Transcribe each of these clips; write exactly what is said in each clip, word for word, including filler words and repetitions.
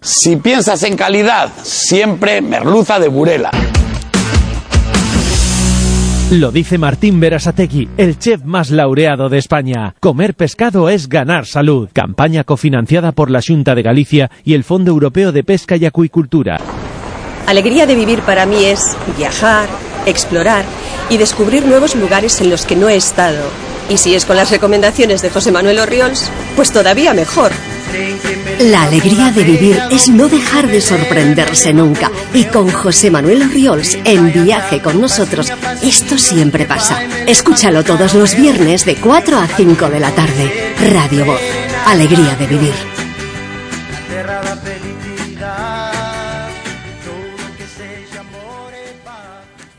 Si piensas en calidad, siempre merluza de Burela. Lo dice Martín Berasategui, el chef más laureado de España. Comer pescado es ganar salud. Campaña cofinanciada por la Xunta de Galicia y el Fondo Europeo de Pesca y Acuicultura. Alegría de vivir para mí es viajar, explorar y descubrir nuevos lugares en los que no he estado. Y si es con las recomendaciones de José Manuel Orriols, pues todavía mejor. La alegría de vivir es no dejar de sorprenderse nunca. Y con José Manuel Orriols en Viaje con nosotros, esto siempre pasa. Escúchalo todos los viernes de cuatro a cinco de la tarde. Radio Voz. Alegría de vivir.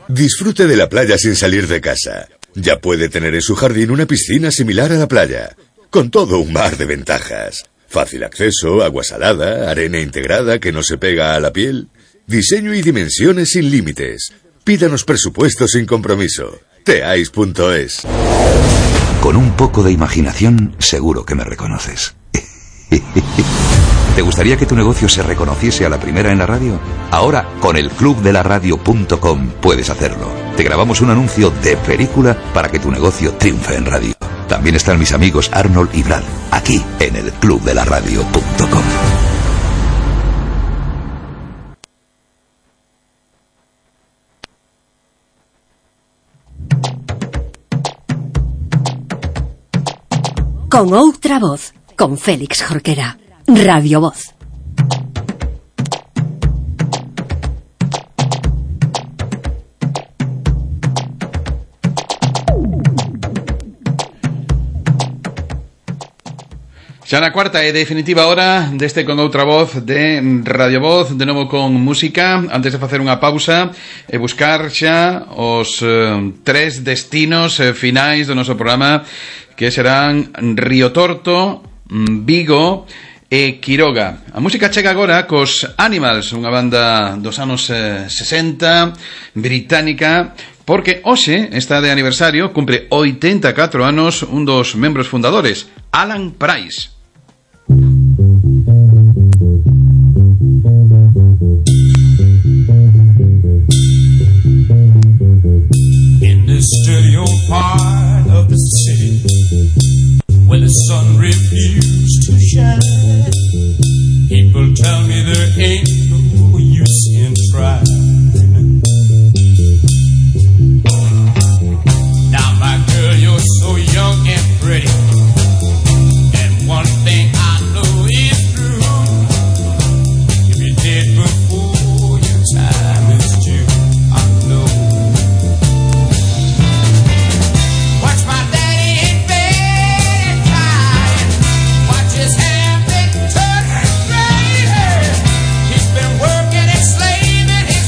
Disfrute de la playa sin salir de casa. Ya puede tener en su jardín una piscina similar a la playa, con todo un mar de ventajas. Fácil acceso, agua salada, arena integrada que no se pega a la piel. Diseño y dimensiones sin límites. Pídanos presupuesto sin compromiso. teais punto es. Con un poco de imaginación, seguro que me reconoces. ¿Te gustaría que tu negocio se reconociese a la primera en la radio? Ahora, con el club de la radio punto com puedes hacerlo. Te grabamos un anuncio de película para que tu negocio triunfe en radio. También están mis amigos Arnold y Brad, aquí en el club de la radio punto com. Con outra voz, con Félix Jorquera. Radio Voz. Xa na cuarta e definitiva hora deste Con Outra Voz de Radio Voz, de novo con música. Antes de facer unha pausa e buscar xa os eh, tres destinos eh, finais do noso programa, que serán Río Torto, Vigo e Quiroga. A música chega agora cos Animals, unha banda dos anos eh, sesenta, británica, porque hoxe está de aniversario, cumpre oitenta e catro anos un dos membros fundadores, Alan Price. In the studio part of the city where the sun refused to shine, people tell me there ain't no use in trying. Now my girl, you're so young and pretty, and one thing I know is true, if you're dead before your time is due, I know. Watch my daddy in bed crying, watch his hair big turn gray. He's been working and slaving his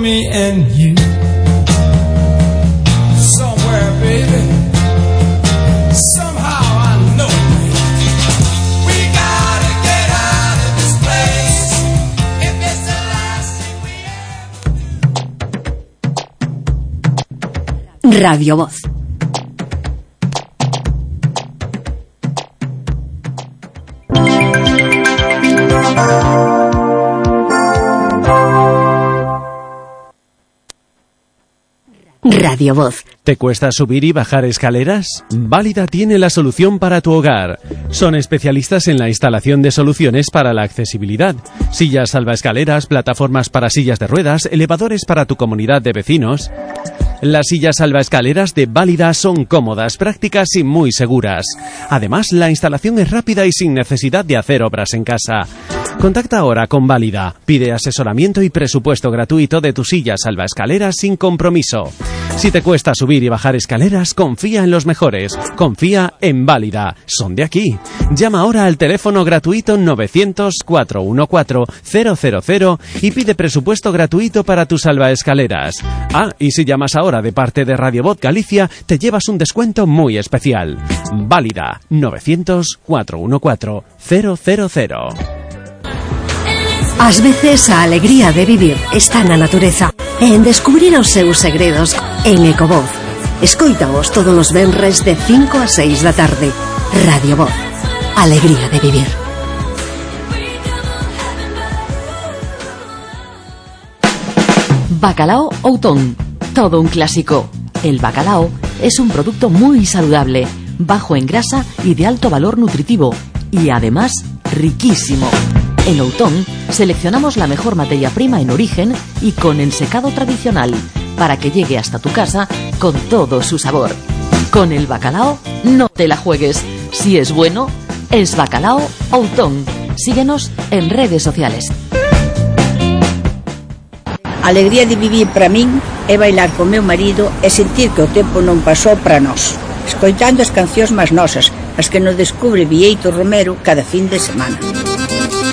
me and you. Somewhere, baby. Somehow I know it, baby. We gotta get out of this place. If it's the last thing we ever. Radio Voz. Radio Voz. ¿Te cuesta subir y bajar escaleras? Válida tiene la solución para tu hogar. Son especialistas en la instalación de soluciones para la accesibilidad. Sillas salvaescaleras, plataformas para sillas de ruedas, elevadores para tu comunidad de vecinos. Las sillas salvaescaleras de Válida son cómodas, prácticas y muy seguras. Además, la instalación es rápida y sin necesidad de hacer obras en casa. Contacta ahora con Válida. Pide asesoramiento y presupuesto gratuito de tu silla salvaescaleras sin compromiso. Si te cuesta subir y bajar escaleras, confía en los mejores. Confía en Válida. Son de aquí. Llama ahora al teléfono gratuito novecientos, cuatrocientos catorce, cero cero cero y pide presupuesto gratuito para tus salvaescaleras. Ah, y si llamas ahora de parte de Radio Voz Galicia, te llevas un descuento muy especial. Válida. novecientos, cuatrocientos catorce, cero cero cero. Ás veces a alegría de vivir está na natureza e en descubrir os seus segredos en Ecovoz. Escoítaos todos os venres de cinco a seis da tarde. Radio Voz. Alegría de vivir. Bacalao Outón. Todo un clásico. El bacalao es un producto muy saludable, bajo en grasa y de alto valor nutritivo. Y además, riquísimo. En Outón seleccionamos la mejor materia prima en origen y con ensecado tradicional para que llegue hasta tu casa con todo su sabor. Con el bacalao no te la juegues. Si es bueno, es Bacalao Outón. Síguenos en redes sociales. A alegría de vivir para min é bailar con meu marido e sentir que o tempo non pasou para nós, escoitando as cancións máis nosas, as que nos descubre Vieito Romero cada fin de semana.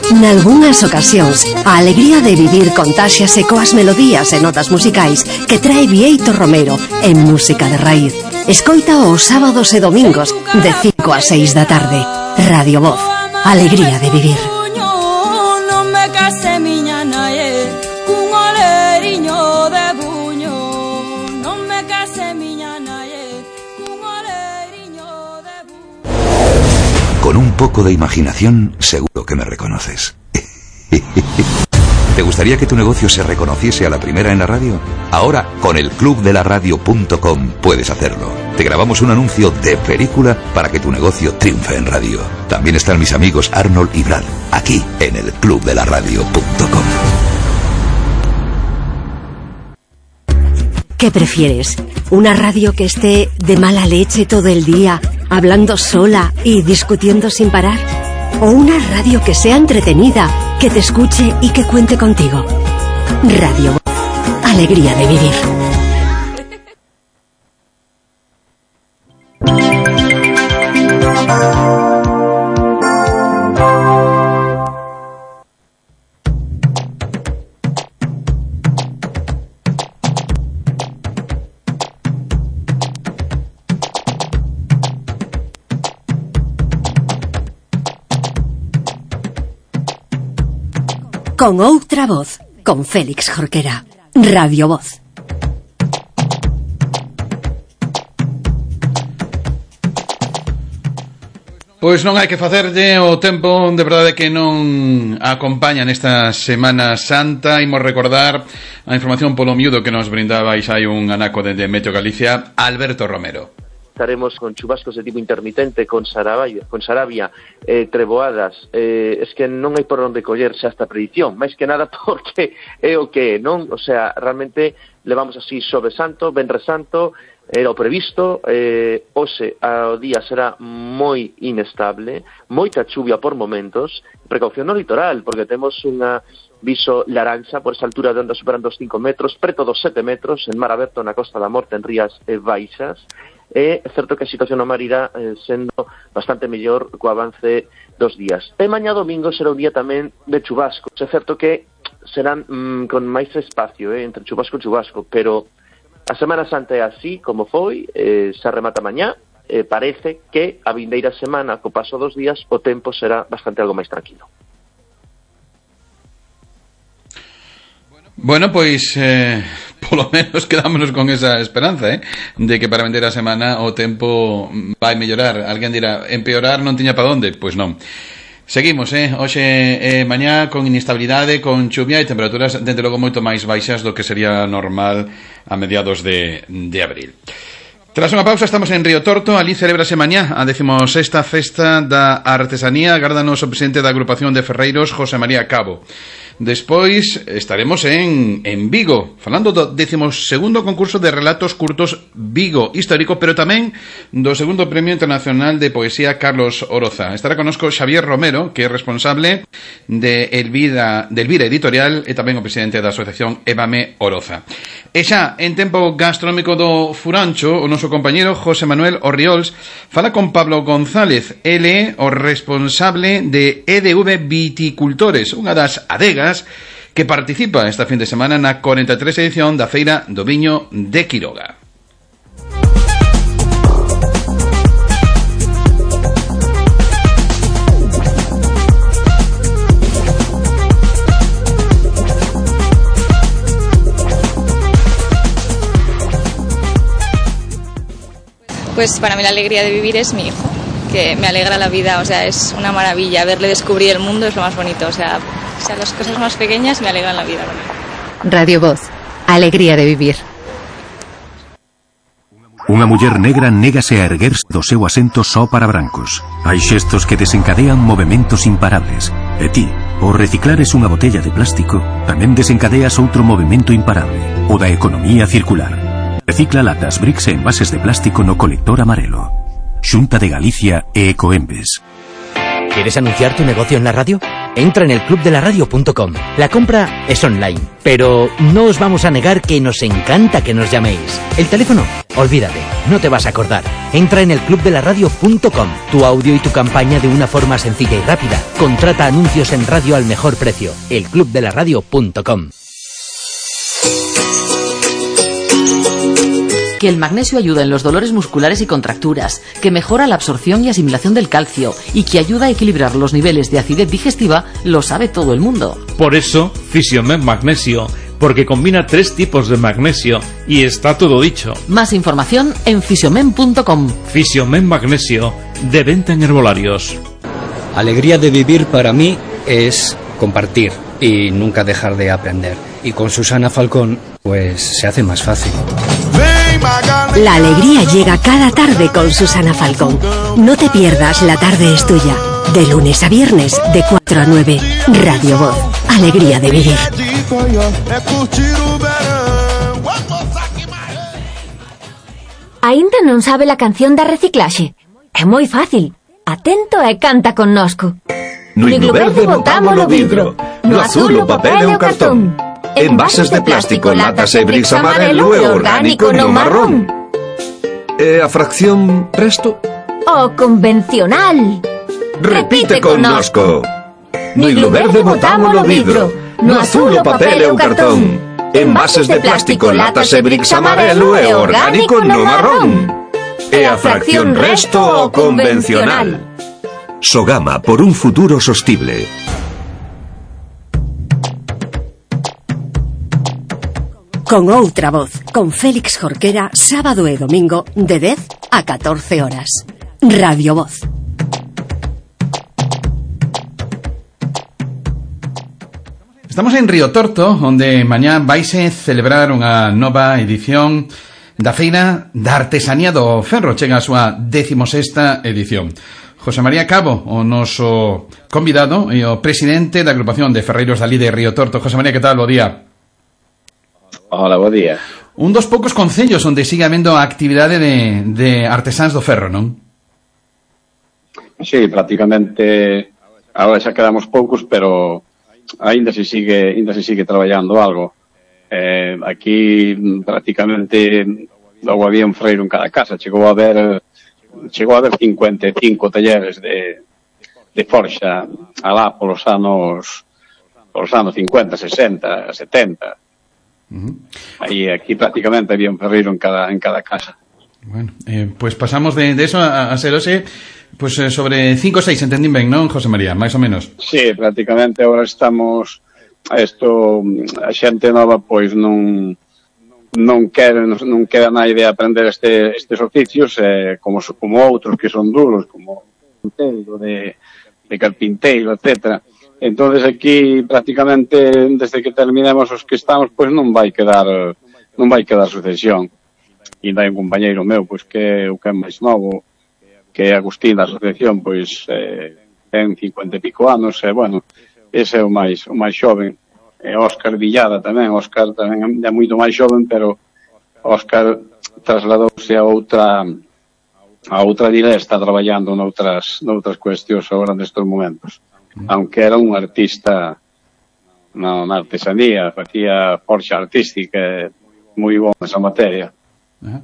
Nalgúnas ocasións, a alegría de vivir contáxiase coas melodías e notas musicais que trae Vieito Romero en música de raíz. Escoita os sábados e domingos de cinco a seis da tarde. Radio Voz. Alegría de vivir. Non me case miña nae, cun oleriño de buño. Non me case miña nae, cun oleriño de buño. Con un poco de imaginación, seguro que me reconoces. ¿Te gustaría que tu negocio se reconociese a la primera en la radio? Ahora, con el club de la radio punto com puedes hacerlo. Te grabamos un anuncio de película para que tu negocio triunfe en radio. También están mis amigos Arnold y Brad, aquí en el club de la radio punto com. ¿Qué prefieres? ¿Una radio que esté de mala leche todo el día, hablando sola y discutiendo sin parar? ¿O una radio que sea entretenida, que te escuche y que cuente contigo? Radio Voz. Alegría de vivir. Con outra voz, con Félix Jorquera. Radio Voz. Pois non hai que facerlle o tempo, de verdade que non acompaña nesta Semana Santa. Imos recordar a información polo miúdo que nos brindabais hai un anaco de Meteo Galicia, Alberto Romero. Estaremos con chubascos de tipo intermitente, con Sarabia, con Sarabia eh, treboadas. Eh, es que non hai por onde collerse esta predición, máis que nada porque é o que non, o sea, realmente levamos así Xoves Santo, Venres Santo, era o previsto, eh, hoxe ao día será moi inestable, moita chuvia por momentos, precaución no litoral, porque temos unha viso laranxa por esa altura de onda superando os cinco metros, preto dos sete metros, en mar aberto na Costa da Morte, en rías e baixas. É certo que a situación no mar irá eh, sendo bastante mellor co avance dos días. E mañá domingo será un día tamén de chubascos. É certo que serán mm, con máis espacio, eh, entre chubasco e chubasco, pero a Semana Santa é así como foi, eh, se remata mañá, eh, parece que a vindeira semana, co paso dos días, o tempo será bastante algo máis tranquilo. Bueno, pois eh, polo menos quedámonos con esa esperanza, eh, de que para vender a semana o tempo vai mellorar. Alguén dirá, empeorar non tiña para onde? Pois non. Seguimos, eh, hoxe eh, mañá con inestabilidade, con chuvia e temperaturas dende logo moito máis baixas do que sería normal a mediados de, de abril. Tras unha pausa estamos en Río Torto, ali celebrase mañá a decimosexta festa da artesanía, gárdanos o presidente da agrupación de ferreiros, José María Cabo. Despois estaremos en, en Vigo, falando do décimo segundo concurso de relatos curtos Vigo histórico, pero tamén do segundo premio internacional de poesía Carlos Oroza. Estará conosco Xavier Romero, que é responsable de Elvira, de Elvira Editorial e tamén o presidente da asociación Évame Oroza. E xa, en tempo gastronómico do Furancho, o noso compañeiro José Manuel Orriols fala con Pablo González, ele o responsable de E D V Viticultores, unha das adegas que participa esta fin de semana na cuarenta e tres edición da Feira do Viño de Quiroga. Pues para mí la alegría de vivir es mi hijo, que me alegra la vida, o sea, es una maravilla. Verle descubrir el mundo es lo más bonito, o sea, o sea las cosas más pequeñas me alegran la vida. Radio Voz, alegría de vivir. Unha muller negra négase a erguerse do seu asento só para brancos. Hai xestos que desencadean movementos imparables. E ti, ao reciclares unha botella de plástico, tamén desencadeas outro movemento imparable, o da economía circular. Recicla latas, bricks e envases de plástico no colector amarelo. Xunta de Galicia e Ecoembes. ¿Quieres anunciar tu negocio en la radio? Entra en el club de la radio punto com. La compra es online, pero no os vamos a negar que nos encanta que nos llaméis. El teléfono, olvídate, no te vas a acordar. Entra en el club de la radio punto com. Tu audio y tu campaña de una forma sencilla y rápida. Contrata anuncios en radio al mejor precio. el club de la radio punto com. Que el magnesio ayuda en los dolores musculares y contracturas, que mejora la absorción y asimilación del calcio y que ayuda a equilibrar los niveles de acidez digestiva, lo sabe todo el mundo. Por eso, Fisiomen Magnesio, porque combina tres tipos de magnesio y está todo dicho. Más información en fisiomen punto com. Fisiomen Magnesio, de venta en herbolarios. Alegría de vivir para mí es compartir y nunca dejar de aprender. Y con Susana Falcón, pues se hace más fácil. La alegría llega cada tarde con Susana Falcón. No te pierdas La Tarde es Tuya. De lunes a viernes, de cuatro a nueve. Radio Voz. Alegría de vivir. Ainda non sabe la canción da reciclaxe? É moi fácil. Atento e canta connosco. No himno verde botámolo vidro, no azul o papel e o cartón. Envases de plástico, latas e bricks amarelo e orgánico no marrón. E a fracción resto? O convencional. Repite connosco. No himno verde botámolo vidro, no azul o papel e o cartón. Envases de plástico, latas e bricks amarelo e orgánico no marrón. E a fracción resto o convencional. Sogama, por un futuro sostible. Con outra voz, con Félix Jorquera, sábado e domingo, de dez a catorce horas. Radio Voz. Estamos en Río Torto, onde mañá vaise celebrar unha nova edición da Feira da Artesanía do Ferro. Chega a súa decimosexta edición. José María Cabo, o noso convidado e o presidente da agrupación de ferreiros dali de Río Torto. José María, que tal? Bo día. Hola, bo día. Un dos poucos concellos onde sigue habendo a actividade de, de artesáns do ferro, non? Sí, prácticamente agora xa quedamos poucos, pero aínda se sigue, aínda se sigue traballando algo. Eh, aquí prácticamente logo había un freiro en cada casa, chegou a haber chegou a haber cincuenta e cinco talleres de, de forxa alá polos anos os anos cincuenta, sesenta, setenta. Uh-huh. Aí aquí prácticamente había un ferreiro en cada en cada casa. Bueno, eh, pues pasamos de, de eso a, a ser ose, pues eh, sobre cinco ou seis, entendín ben, non, José María, máis ou menos? Sí, prácticamente agora estamos isto, a xente nova pois non non quere non queda na idea aprender este, estes oficios eh, como, como outros que son duros, como de, de carpinteiro, etcétera. Entonces aquí prácticamente desde que terminemos os que estamos pois non vai quedar non vai quedar sucesión. E hai un compañeiro meu, pois que o que é máis novo, que é Agustín da asociación, pois eh, ten cincuenta e pico anos, e bueno, ese é o máis o máis xoven. E Óscar Villada tamén, Óscar tamén é moito máis xoven, pero Óscar trasladouse a outra a outra dile, está traballando noutras noutras cuestións agora nestes momentos. Aunque era un artista na, na artesanía, facía forxa artística, moi bom esa materia. Uh-huh.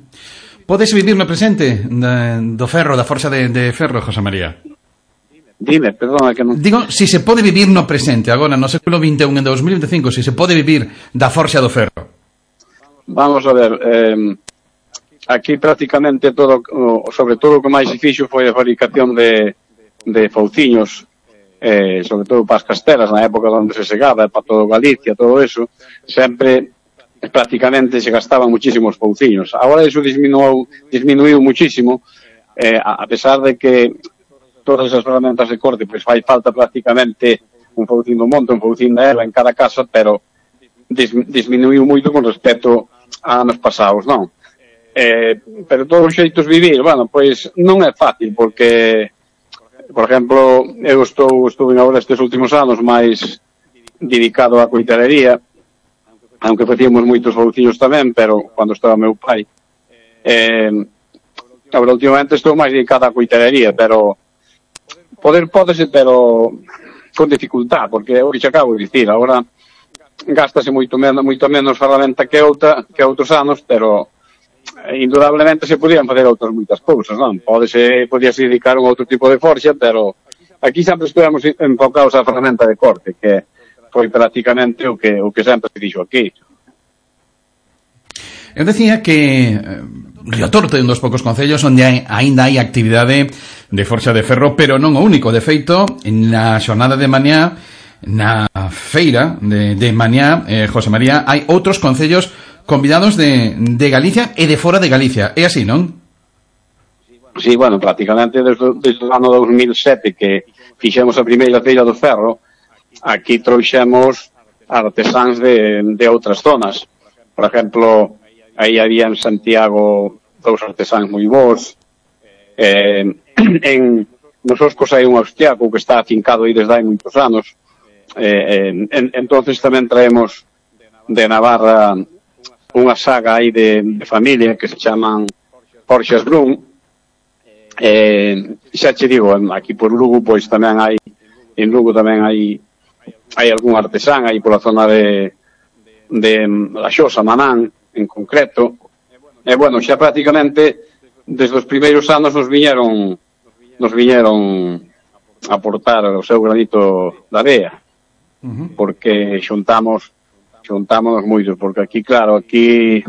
Podes vivir no presente de, do ferro, da forxa de, de ferro, José María? Dime, perdona que non... Digo, si se pode vivir no presente, agora no século vinte e un, en dos mil veinticinco, si se pode vivir da forxa do ferro. Vamos a ver, eh, aquí prácticamente todo, sobre todo o que máis se fixo foi a fabricación de, de fauciños, eh, sobre todo para as castelas, na época onde se segaba, para todo Galicia, todo eso, sempre... prácticamente se gastaban muchísimos fauciños. Agora iso disminuiu, disminuiu muchísimo, eh, a pesar de que todas esas ferramentas de corte, pois fai falta prácticamente un faucín do monte, un faucín da erva en cada casa, pero dis, disminuiu moito con respecto a anos pasados, non? Eh, pero todos os xeitos vivir, bueno, pois non é fácil, porque, por exemplo, eu estou, estou agora estes últimos anos máis dedicado á coitelería, aunque facíamos moitos fauciños tamén, pero cando estaba meu pai. Eh, agora, últimamente estou máis dedicado á coitelería, pero poder pódese, pero con dificultad, porque é o que xe acabo de dicir, agora gástase moito menos, moito menos ferramenta que outra, que outros anos, pero indudablemente se podían facer outras moitas cousas, non? Pódese, podíase dedicar a un outro tipo de forxa, pero aquí sempre estuvemos enfocados á ferramenta de corte, que foi prácticamente o que o que sempre se dixo aquí. Eu decía que eh, Río Torto é un dos poucos concellos onde hai, aínda hai actividade de forxa de ferro, pero non o único. De feito, na xornada de mañá, na feira de, de mañá, eh, José María, hai outros concellos convidados de, de Galicia e de fora de Galicia. É así, non? Sí, bueno, prácticamente desde, desde o ano dos mil sete que fixemos a primeira feira do ferro, aquí trouxemos artesáns de, de outras zonas. Por exemplo, aí había en Santiago dous artesáns moi bons. Eh, en nos Oscos hai un austriaco que está afincado aí desde hai moitos anos. Eh, en, entonces tamén traemos de Navarra unha saga aí de, de familia que se chaman Forxas Brun. Eh, xa che digo, aquí por Lugo pois tamén hai, en Lugo tamén hai hai algún artesán aí pola zona de de La Xosa, Manán, en concreto. E, bueno, xa prácticamente desde os primeiros anos nos viñeron nos viñeron a aportar o seu granito de area, porque xuntamos xuntámonos moitos, porque aquí, claro, aquí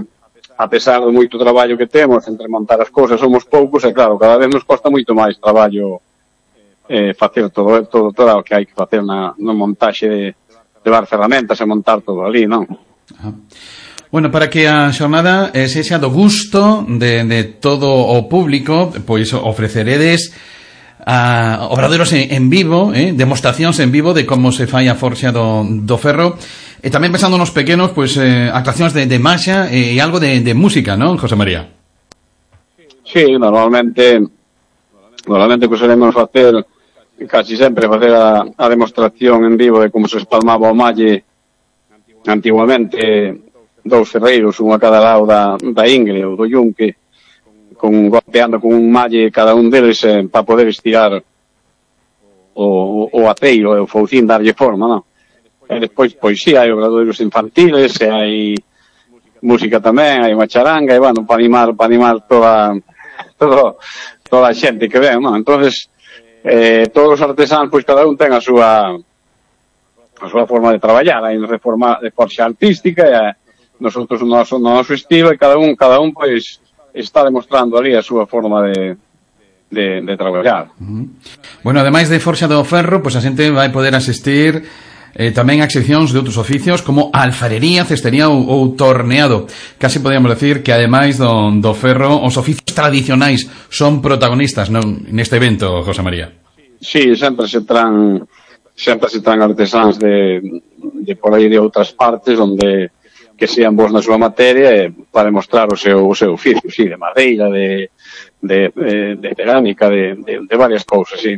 a pesar do moito traballo que temos entre montar as cousas, somos poucos, e claro, cada vez nos costa moito máis traballo eh, facer todo, todo, todo o que hai que facer na, na montaxe de levar ferramentas e montar todo ali, non? Ajá. Bueno, para que a xornada eh, sexa do gusto de, de todo o público, pois ofreceredes a obradoiros en, en vivo, eh, demostracións en vivo de como se fai a forxa do, do ferro, e tamén pensando nos pequenos, pois eh, actuacións de, de maxa e algo de, de música, non, José María? Sí, normalmente normalmente que solemos facer casi sempre facer a, a demostración en vivo de como se espalmaba o malle antiguamente, dous ferreiros, un a cada lado da, da Ingre ou do Yunque, con, golpeando con un malle cada un deles eh, para poder estirar o, o, o aceiro e o foucín darlle forma, non? E despois, pois sí, hai obradoiros infantiles, e hai música tamén, hai unha charanga, e bueno, para animar, para animar toda, todo, toda a xente que ven, non? Entonces, eh, todos os artesáns, pois cada un ten a súa a súa forma de traballar, hai de forma de forxa artística, e nosotros o noso, o noso estilo, e cada un, cada un, pois, está demostrando ali a súa forma de, de, de traballar. Uh-huh. Bueno, ademais de Forxa do Ferro, pois a xente vai poder asistir eh, tamén a seccións de outros oficios como alfarería, cestería ou, ou torneado. Casi podríamos decir que ademais do, do ferro, os oficios tradicionais son protagonistas non, neste evento, José María. Sí, sempre se tran sempre se tran artesáns de, de por aí de outras partes onde que sean bons na súa materia e para demostrar o seu, o seu oficio, sí, de madeira, de, de, de, de cerámica, de, de, de varias cousas, sí.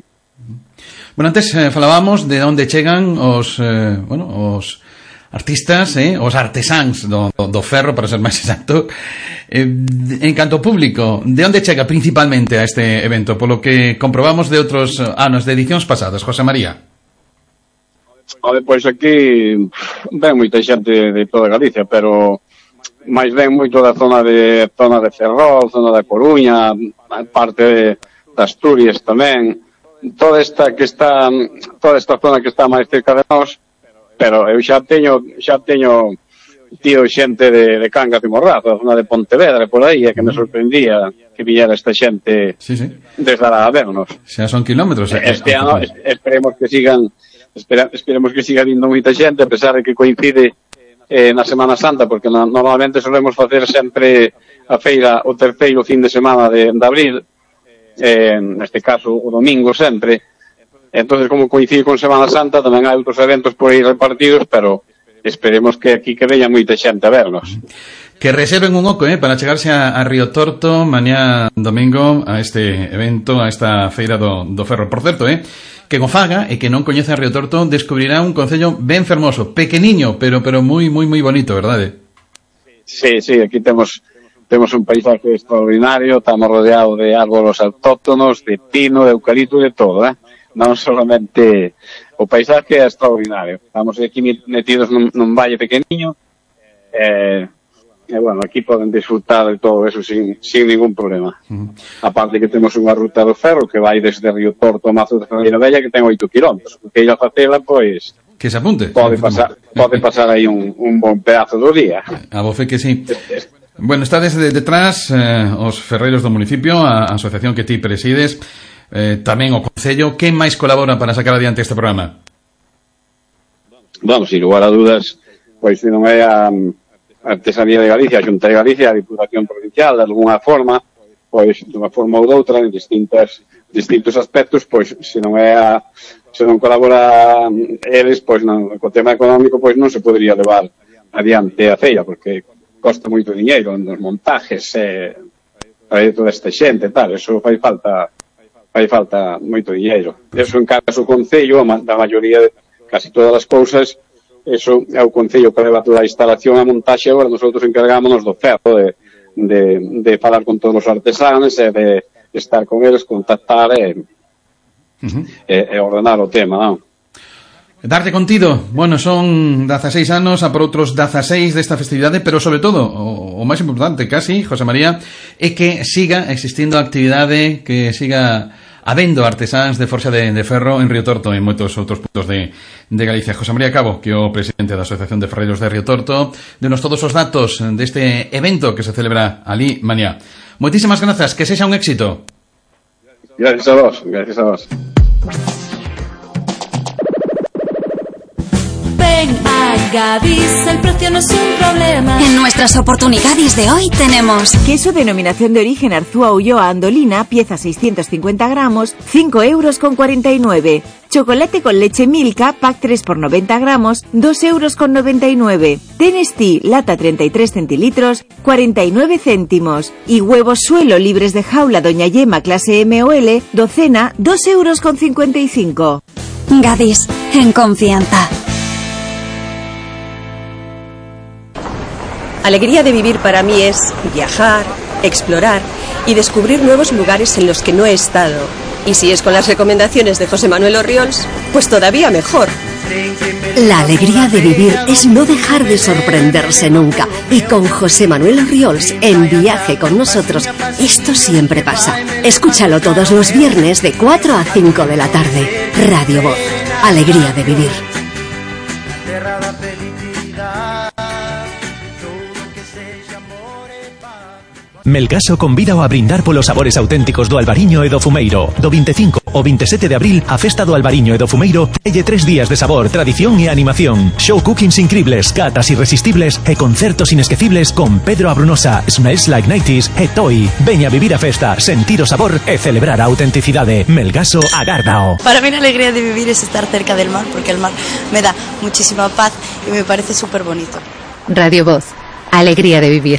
Bueno, antes eh, falábamos de onde chegan os, eh, bueno, os artistas, eh, os artesáns do, do, do ferro, para ser máis exacto. Eh, en canto público, de onde chega principalmente a este evento? Polo que comprobamos de outros anos, de edicións pasadas, José María. Ode, pois aquí ven moita xente de toda Galicia, pero máis ven moito da zona de zona de Ferrol, zona da Coruña, parte de, de Asturias tamén, toda esta que está toda esta zona que está máis cerca de nós, pero eu xa teño xa teño tío xente de, de Cangas de Morrazo, da zona de Pontevedra, por aí, e que me sorprendía que viñera esta xente sí, sí. desde a vernos. Xa son kilómetros. Eh, este ano esperemos que sigan Espera, esperemos que siga vindo moita xente, a pesar de que coincide eh, na Semana Santa, porque no, normalmente solemos facer sempre a feira o terceiro fin de semana de, de abril, eh, neste caso o domingo sempre. Entonces, como coincide con Semana Santa, tamén hai outros eventos por aí repartidos, pero esperemos que aquí que veña moita xente a vernos. Que reserven un oco eh, para chegarse a, a Río Torto mañá domingo a este evento, a esta feira do, do ferro. Por certo, eh, que o faga e que non coñece a Río Torto descubrirá un concello ben fermoso, pequeniño, pero pero moi moi moi bonito, verdade? Sí, sí, aquí temos temos un paisaje extraordinario, estamos rodeados de árboles autóctonos, de pino, de eucalipto, de todo, eh? Non solamente o paisaje é extraordinario. Estamos aquí metidos nun, nun valle pequeniño, eh, e, bueno, aquí poden disfrutar de todo eso sin, sin ningún problema. Uh-huh. Aparte que temos unha ruta do ferro que vai desde Río Torto a Mazo de Ferreira Bella, que ten oito kilómetros. Que ir a facela, pois... Que se apunte. Pode pasar, pode pasar aí un, un bon pedazo do día. A voce que sí. Bueno, está desde detrás eh, os ferreiros do municipio, a, a asociación que ti presides, eh, tamén o Concello. Que máis colabora para sacar adiante este programa? Vamos, sin lugar a dudas, pois se non é a... Artesanía de Galicia, a Xunta de Galicia, a Diputación Provincial, de alguna forma, pois, de unha forma ou doutra, en distintas, distintos aspectos, pois, se non é a, se non colabora eles, pois, non, co tema económico, pois, non se podría levar adiante a feira, porque costa moito diñeiro nos montajes, eh, para toda esta xente, tal, eso fai falta, fai falta moito diñeiro. Eso encarga o Concello, da maioría de casi todas as cousas. Eso é o Concello que leva toda a instalación a montaxe, agora nosotros encargámonos do ferro, de, de, de falar con todos os artesanos e de estar con eles, contactar e, uh-huh. e, e ordenar o tema, non? Darte contido, bueno, son dezaseis anos a por outros dezaseis desta festividade, pero sobre todo, o, o máis importante casi, José María, é que siga existindo a actividade, que siga habendo artesáns de forxa de, de ferro en Río Torto e en moitos outros puntos de, de Galicia. José María Cabo, que é o presidente da Asociación de Ferreiros de Río Torto, denos todos os datos deste evento que se celebra ali mañá. Moitísimas grazas, que sexa un éxito. Gracias a vos, gracias a vos. Ven a Gadis, el precio no es un problema. En nuestras oportunidades de hoy tenemos queso denominación de origen Arzúa Ulloa Andolina, pieza seiscientos cincuenta gramos, cinco euros con cuarenta y nueve. Chocolate con leche Milka, pack tres por noventa gramos, dos euros con noventa y nueve. Tenestí, lata treinta y tres centilitros, cuarenta y nueve céntimos. Y huevos suelo libres de jaula Doña Yema clase M o L, docena, dos euros con cincuenta y cinco. Gadis, en confianza. Alegría de vivir para mí es viajar, explorar y descubrir nuevos lugares en los que no he estado. Y si es con las recomendaciones de José Manuel Orriols, pues todavía mejor. La alegría de vivir es no dejar de sorprenderse nunca. Y con José Manuel Orriols en Viaje con nosotros, esto siempre pasa. Escúchalo todos los viernes de cuatro a cinco de la tarde. Radio Voz. Alegría de vivir. Melgaso convida a brindar polos sabores auténticos do Albariño e do Fumeiro. Do veinticinco ao veintisiete de abril, a festa do Albariño e do Fumeiroelle tres días de sabor, tradición e animación. Show cookings increíbles, catas irresistibles e concertos inesquecibles con Pedro Abrunosa, Smells Like nineties e Toy. Veña a vivir a festa, sentir o sabor e celebrar a autenticidade. Melgaso agárdao. Para mí la alegría de vivir es estar cerca del mar, porque el mar me da muchísima paz y me parece súper bonito. Radio Voz. Alegría de vivir.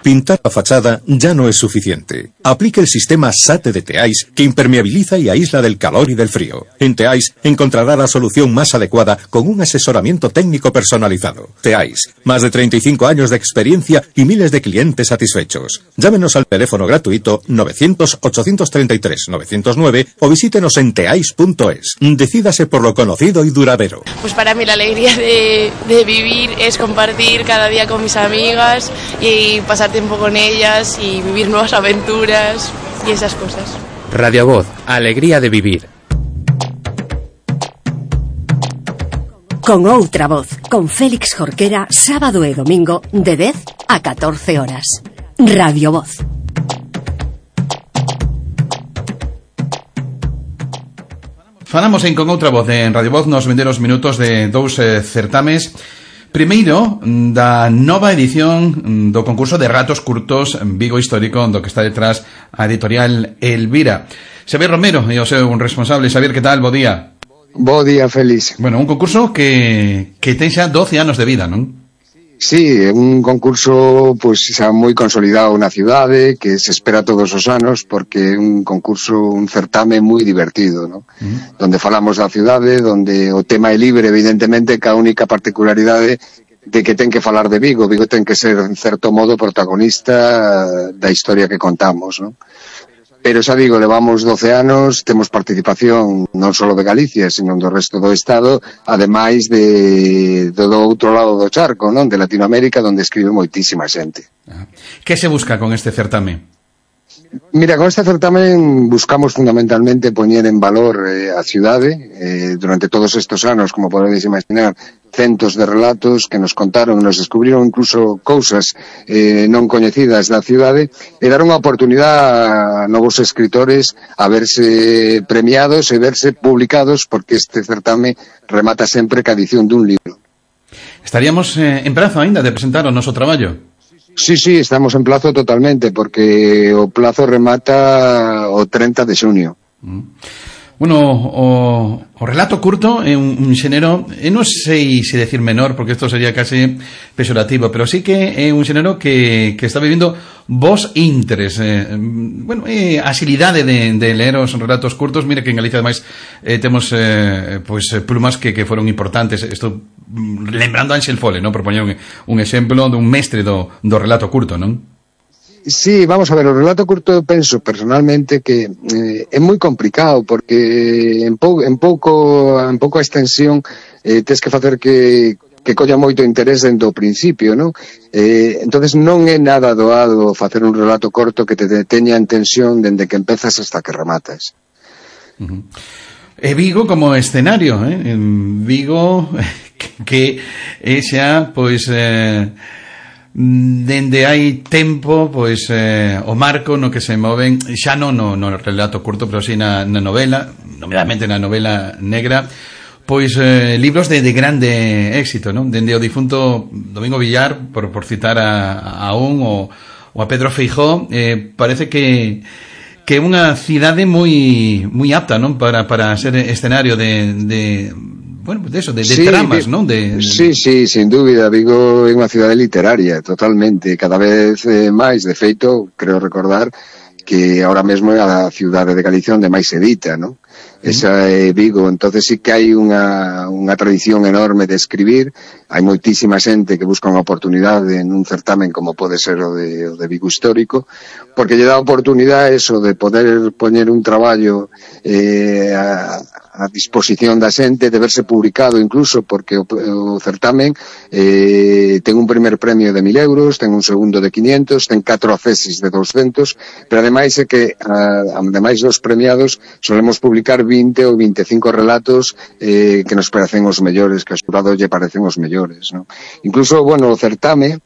Pintar la fachada ya no es suficiente. Aplique el sistema SATE de Teais, que impermeabiliza y aísla del calor y del frío. En Teais encontrará la solución más adecuada con un asesoramiento técnico personalizado. Teais, más de treinta y cinco años de experiencia y miles de clientes satisfechos. Llámenos al teléfono gratuito novecientos, ochocientos treinta y tres, novecientos nueve o visítenos en teais punto es. Decídase por lo conocido y duradero. Pues para mí la alegría de, de vivir es compartir cada día con mis amigas y pasar tiempo con ellas y vivir nuevas aventuras y esas cosas. Radio Voz, alegría de vivir. Con outra voz, con Félix Jorquera, sábado e domingo de dez a catorce horas. Radio Voz. Falamos en Con outra voz en Radio Voz nos venderos minutos de dous eh, certames. Primeiro, da nova edición do concurso de relatos curtos Vigo Histórico, do que está detrás a editorial Elvira. Xavier Romero e o seu responsable. Xavier, que tal? Bo día. Bo día, Félix. Bueno, un concurso que, que ten xa doce anos de vida, non? Sí, un concurso pois xa moi consolidado na cidade, que se espera todos os anos, porque é un concurso, un certame moi divertido, ¿no? Mm. Donde falamos da cidade, donde o tema é libre, evidentemente, que a única particularidade de que ten que falar de Vigo. Vigo ten que ser, en certo modo, protagonista da historia que contamos, ¿no? Pero xa digo, levamos doce anos, temos participación non só de Galicia, sino do resto do Estado, ademais de do, do outro lado do charco, non? De Latinoamérica, onde escribe moitísima xente. Que se busca con este certame? Mira, con este certamen buscamos fundamentalmente poñer en valor eh, a cidade. Eh, durante todos estes anos, como podedes imaginar, centos de relatos que nos contaron, nos descubriron incluso cousas eh, non coñecidas da cidade, e dar unha oportunidade a novos escritores a verse premiados e verse publicados, porque este certame remata sempre ca edición dun libro. Estaríamos eh, en prazo aínda de presentar o noso traballo? Sí, sí, estamos en plazo totalmente, porque o plazo remata o treinta de xunio. Mm. Bueno, o, o relato curto é un, un xénero, eu non sei se decir menor, porque isto sería casi pexorativo, pero sí que é un xénero que, que está vivindo vos interés. Eh, bueno, eh, asilidade de, de ler os relatos curtos. Mira que en Galicia, ademais, eh, temos eh, pues, plumas que, que foron importantes. Isto, lembrando a Ángel Fole, ¿no? Por poñer un, un exemplo dun mestre do, do relato curto, non? Sí, vamos a ver, o relato curto penso personalmente que eh, é moi complicado, porque en, pou, en pouco en pouco a extensión eh, tes que facer que que colla moito interés dentro do principio, non? Eh, entonces non é nada doado facer un relato corto que te teña en tensión dende que empezas hasta que rematas. Uh-huh. E Vigo como escenario, eh? En Vigo que é xa, pois... Eh... dende hai tempo, pois eh, o marco no que se moven, xa non no, no relato curto, pero si na, na novela, nomeadamente na novela negra, pois eh, libros de, de grande éxito, non? Dende o difunto Domingo Villar, por, por citar a, a un, o, o a Pedro Feijó, eh, parece que que é unha cidade moi moi apta, non? Para, para ser escenario de... de bueno, de eso, de, de sí, tramas, ¿no? De, de... Sí, sí, sin dúbida. Vigo é unha cidade literaria, totalmente. Cada vez eh, máis, de feito, creo recordar que ahora mesmo é a cidade de Galicia onde máis se edita, ¿no? Esa é Vigo. Entonces sí que hai unha, unha tradición enorme de escribir. Hai moitísima xente que busca unha oportunidade en un certamen como pode ser o de, o de Vigo Histórico, porque lle dá a oportunidade eso de poder poñer un traballo eh, a, a disposición da xente, de verse publicado incluso, porque o, o certamen eh, ten un primer premio de mil euros, ten un segundo de quinientos, ten catro accesis de doscientos, pero ademais é que a, ademais dos premiados solemos publicar vinte ou veinticinco relatos eh, que nos parecen os mellores, que aos xurados lle parecen os mellores, ¿no? Incluso, bueno, o certame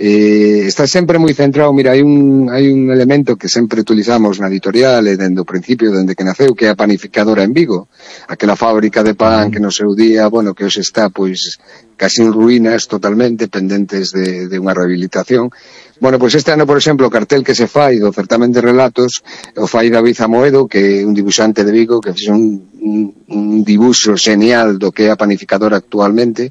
eh, está sempre moi centrado. Mira, hai un, hai un elemento que sempre utilizamos na editorial e dende o principio, dende que naceu, que é a panificadora en Vigo, aquela fábrica de pan que no seu día, bueno, que hoxe está pois casi en ruínas totalmente, pendentes de, de unha rehabilitación. Bueno, pois este ano, por exemplo, o cartel que se fai do certamen de relatos o fai David Amoedo, que é un dibuixante de Vigo, que fixe un, un, un dibuixo genial do que é a panificadora actualmente.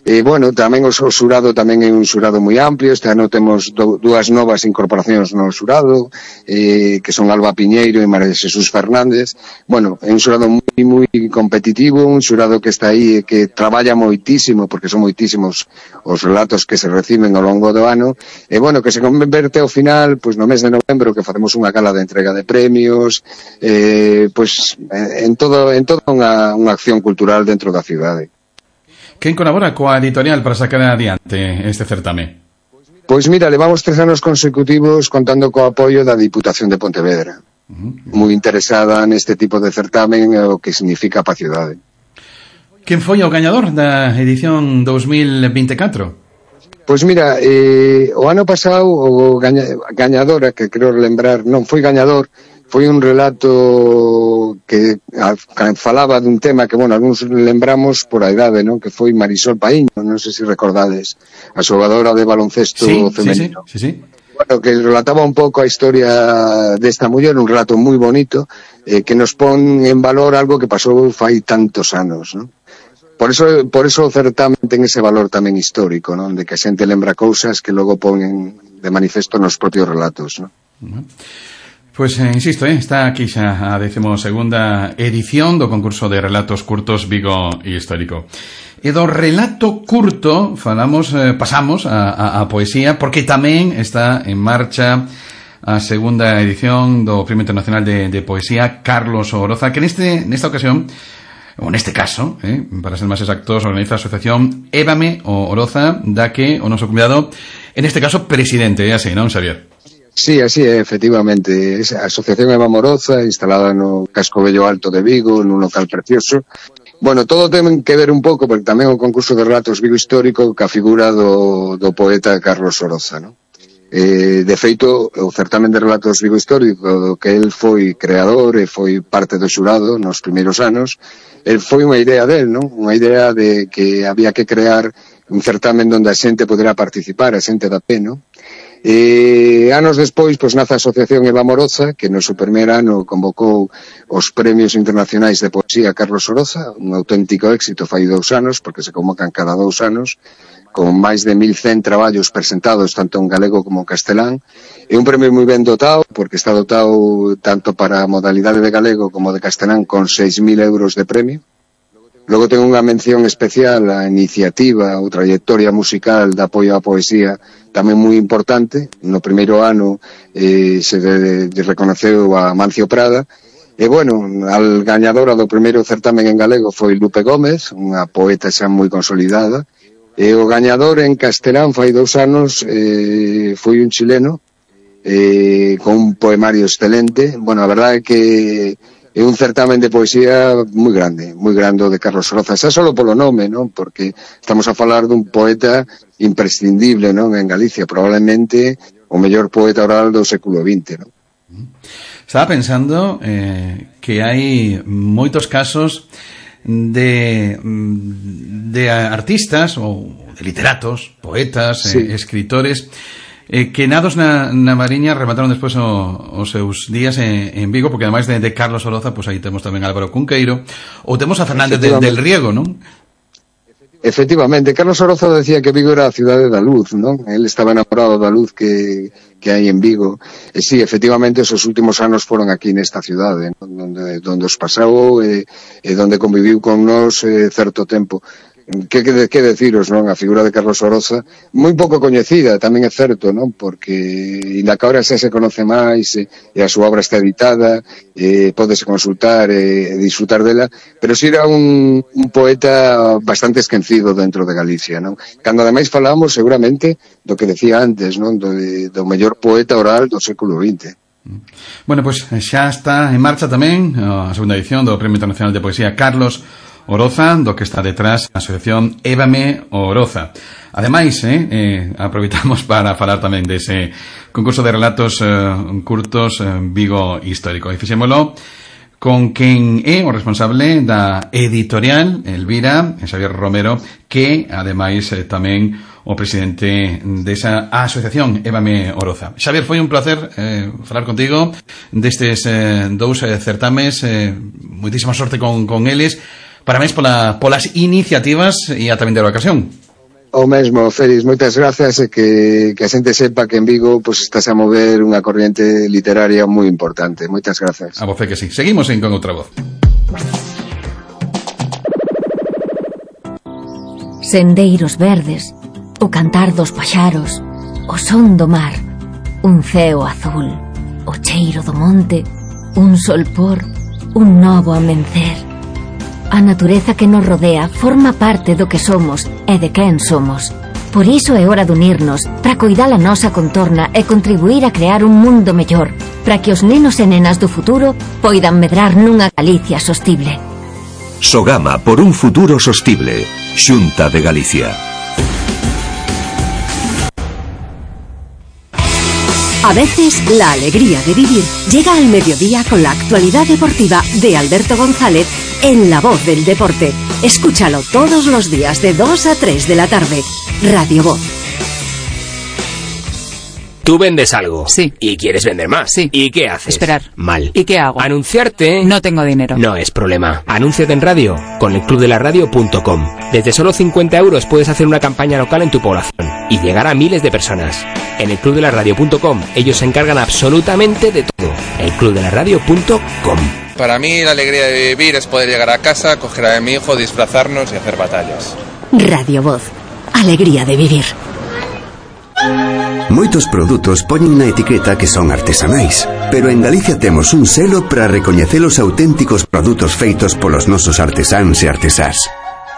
E, bueno, tamén o xurado tamén é un xurado moi amplio. Este ano temos do, dúas novas incorporacións no xurado, eh, que son Alba Piñeiro e María Jesús Fernández. Bueno, é un xurado moi, moi competitivo, un xurado que está aí e que traballa moitísimo, porque son moitísimos os relatos que se reciben ao longo do ano. E, bueno, que se converte ao final, pois no mes de novembro, que facemos unha gala de entrega de premios, eh, pois en todo, en toda unha, unha acción cultural dentro da cidade. Quen colabora coa editorial para sacar adiante este certame? Pois mira, levamos tres anos consecutivos contando co apoio da Diputación de Pontevedra. Uh-huh. Moi interesada neste tipo de certamen e o que significa para a cidade. Quen foi o gañador da edición dos mil vinte e catro? Pois mira, eh, o ano pasado o gaña, gañadora, que creo lembrar, non foi gañador, foi un relato que a, que falaba dun tema que, bueno, algúns lembramos por a idade, non? Que foi Marisol Paíño, non sei se recordades, a xogadora de baloncesto sí, femenino. Sí, sí, sí, sí. Bueno, que relataba un pouco a historia desta muller, un relato moi bonito, eh, que nos pon en valor algo que pasou fai tantos anos, non? Por eso, por eso o certamen ten ese valor tamén histórico, non? De que a xente lembra cousas que logo ponen de manifesto nos propios relatos, non? Uh-huh. Pois, eh, insisto, eh, está aquí xa a decimosegunda edición do concurso de relatos curtos Vigo Histórico. E do relato curto falamos, eh, pasamos a, a, a poesía, porque tamén está en marcha a segunda edición do Premio Internacional de, de Poesía Carlos Oroza, que neste, nesta ocasión, ou neste caso, eh, para ser máis exactos, organiza a asociación Évame o Oroza, da que o noso convidado, en este caso, presidente, é así, non, Xavier? Sí, así é, efectivamente. Esa asociación Eva Moroza, instalada no Casco Bello Alto de Vigo, nun local precioso. Bueno, todo ten que ver un pouco, porque tamén o concurso de relatos Vigo Histórico, ca figura do, do poeta Carlos Oroza, non? Eh, de feito, o certamen de relatos Vigo Histórico, do que el foi creador e foi parte do xurado nos primeiros anos, el foi unha idea del, non? Unha idea de que había que crear un certamen onde a xente podera participar, a xente da pé, non? E anos despois, pois, nace a Asociación Eva Moroza, que no seu primer ano convocou os Premios Internacionais de Poesía Carlos Oroza, un auténtico éxito fai dous anos, porque se convocan cada dous anos, con máis de mil cen traballos presentados tanto en galego como en castelán. É un premio moi ben dotado, porque está dotado tanto para a modalidade de galego como de castelán con seis mil euros de premio. Logo ten unha mención especial á iniciativa ou trayectoria musical de apoio á poesía tamén moi importante. No primeiro ano eh, se de, de reconoceu a Mancio Prada. E, bueno, al gañadora do primeiro certamen en galego foi Lupe Gómez, unha poeta xa moi consolidada. E o gañador en castelán fai dous anos eh, foi un chileno eh, con un poemario excelente. Bueno, a verdade é que é un certamen de poesía moi grande, moi grande de Carlos Oroza, xa solo polo nome, non? Porque estamos a falar dun poeta imprescindible, non? En Galicia, probablemente o mellor poeta oral do século vinte, non? Estaba pensando eh, que hai moitos casos de de artistas ou de literatos, poetas, sí. eh, escritores Eh, que nados na, na Mariña remataron despois o, os seus días en, en Vigo, porque ademais de, de Carlos Oroza, pois aí temos tamén Álvaro Cunqueiro, ou temos a Fernández de, del Riego, non? Efectivamente, Carlos Oroza decía que Vigo era a cidade da luz, non? Él estaba enamorado da luz que, que hai en Vigo. E sí, efectivamente, esos últimos anos foron aquí nesta cidade, non? Donde, donde os pasou e, e donde conviviu con nós eh, certo tempo. Que, que, que deciros, non? A figura de Carlos Oroza, moi pouco coñecida, tamén é certo, non? Porque ainda que ahora xa se conoce máis e, e a súa obra está editada, e pódese consultar e, e disfrutar dela, pero si era un, un poeta bastante esquecido dentro de Galicia, non? Cando ademais falamos seguramente do que decía antes, non? Do, do mellor poeta oral do século vinte. Bueno, pois pues, xa está en marcha tamén a segunda edición do Premio Internacional de Poesía Carlos Oroza, do que está detrás a asociación Évame Oroza. Ademais, eh, eh, aproveitamos para falar tamén dese concurso de relatos eh, curtos eh, Vigo Histórico. E fixémolo con quen é o responsable da editorial Elvira, Xavier Romero, que ademais eh, tamén o presidente desa asociación Évame Oroza. Xavier, foi un placer eh, falar contigo destes eh, dous eh, certames, eh, moitísima sorte con, con eles. Parabéns pola, polas iniciativas e a tamén de ocasión. O mesmo, Félix, moitas gracias e que, que a xente sepa que en Vigo pues, estás a mover unha corriente literaria moi importante. Moitas gracias. A voce que sí. Seguimos en Con Outra Voz. Sendeiros verdes, o cantar dos paxaros, o son do mar, un ceo azul, o cheiro do monte, un solpor, un novo amencer. A natureza que nos rodea forma parte do que somos e de quen somos. Por iso é hora de unirnos para coidar a nosa contorna e contribuir a crear un mundo mellor, para que os nenos e nenas do futuro poidan medrar nunha Galicia sostible. Sogama por un futuro sostible. Xunta de Galicia. A veces, la alegría de vivir llega al mediodía con la actualidad deportiva de Alberto González en La Voz del Deporte. Escúchalo todos los días de dos a tres de la tarde. Radio Voz. Tú vendes algo. Sí. Y quieres vender más. Sí. ¿Y qué haces? Esperar. Mal. ¿Y qué hago? Anunciarte. No tengo dinero. No es problema. Anúnciate en radio con el club de la radio punto com. Desde solo cincuenta euros puedes hacer una campaña local en tu población y llegar a miles de personas. En el club de la radio punto com ellos se encargan absolutamente de todo. el club de la radio punto com. Para mí la alegría de vivir es poder llegar a casa, coger a mi hijo, disfrazarnos y hacer batallas. Radio Voz. Alegría de vivir. Moitos produtos poñen na etiqueta que son artesanais, pero en Galicia temos un selo para recoñecer os auténticos produtos feitos polos nosos artesáns e artesás.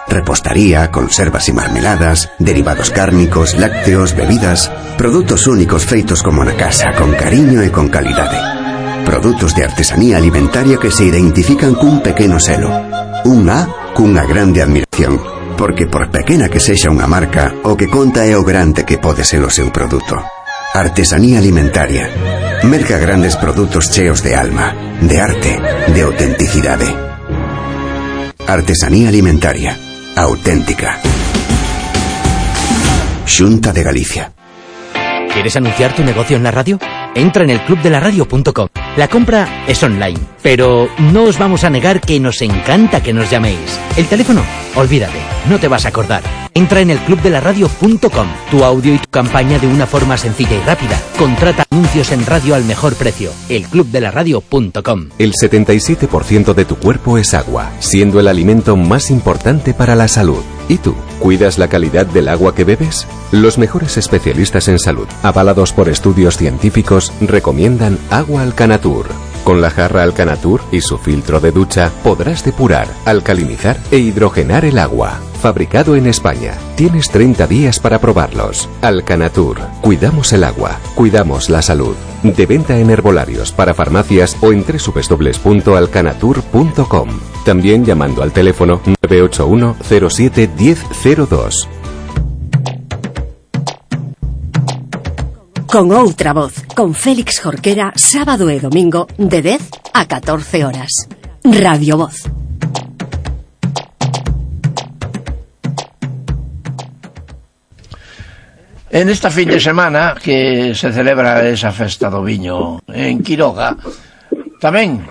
Repostaría, conservas e marmeladas, derivados cárnicos, lácteos, bebidas, produtos únicos feitos como na casa, con cariño e con calidade. Produtos de artesanía alimentaria que se identifican cun pequeno selo. Un A cunha grande admiración. Porque por pequena que sexa unha marca, o que conta é o grande que pode ser o seu produto. Artesanía alimentaria. Merca grandes produtos cheos de alma, de arte, de autenticidade. Artesanía alimentaria. Auténtica. Xunta de Galicia. ¿Quieres anunciar tu negocio en la radio? Entra en el club de la radio punto com. La compra es online, pero no os vamos a negar que nos encanta que nos llaméis. El teléfono, olvídate, no te vas a acordar. Entra en el club de la radio punto com. Tu audio y tu campaña de una forma sencilla y rápida. Contrata anuncios en radio al mejor precio. el club de la radio punto com. El setenta y siete por ciento de tu cuerpo es agua, siendo el alimento más importante para la salud. ¿Y tú? ¿Cuidas la calidad del agua que bebes? Los mejores especialistas en salud, avalados por estudios científicos, recomiendan Agua Alcanatur. Con la jarra Alcanatur y su filtro de ducha podrás depurar, alcalinizar e hidrogenar el agua. Fabricado en España. Tienes treinta días para probarlos. Alcanatur. Cuidamos el agua. Cuidamos la salud. De venta en herbolarios, para farmacias o en doble u doble u doble u punto alcanatur punto com. También llamando al teléfono nueve ocho uno cero siete uno cero cero dos. Con Outra Voz, con Félix Jorquera, sábado e domingo, de dez a catorce horas. Radio Voz. En esta fin de semana que se celebra esa festa do viño en Quiroga, tamén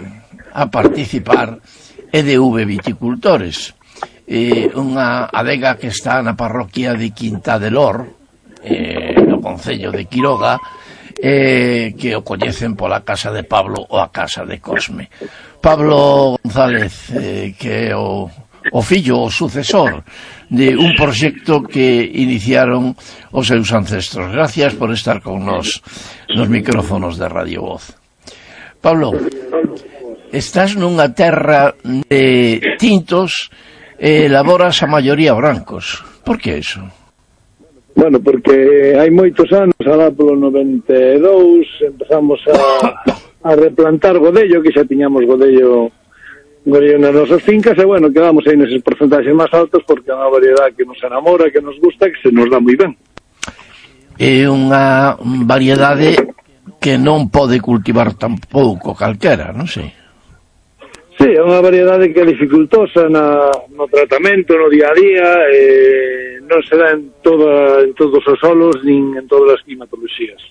a participar E D V Viticultores, eh, unha adega que está na parroquia de Quinta de Lor, eh, no concello de Quiroga, eh, que o coñecen pola casa de Pablo ou a casa de Cosme. Pablo González, eh, que é o, o fillo, o sucesor de un proxecto que iniciaron os seus ancestros. Gracias por estar con nos nos micrófonos de Radio Voz. Pablo, estás nunha terra de tintos e elaboras a maioría brancos. Por que iso? Bueno, porque hai moitos anos, alá polo noventa e dous, empezamos a, a replantar godello, que xa tiñamos godello godello nas nosas fincas, e bueno, quedamos aí neses porcentaxes máis altos porque é unha variedade que nos enamora, que nos gusta, que se nos dá moi ben. É unha variedade que non pode cultivar tampouco calquera, non sei. Sí, é unha variedade que é dificultosa na, no tratamento, no día a día, eh, non se dá en, toda, en todos os solos, nin en todas as climatoloxías.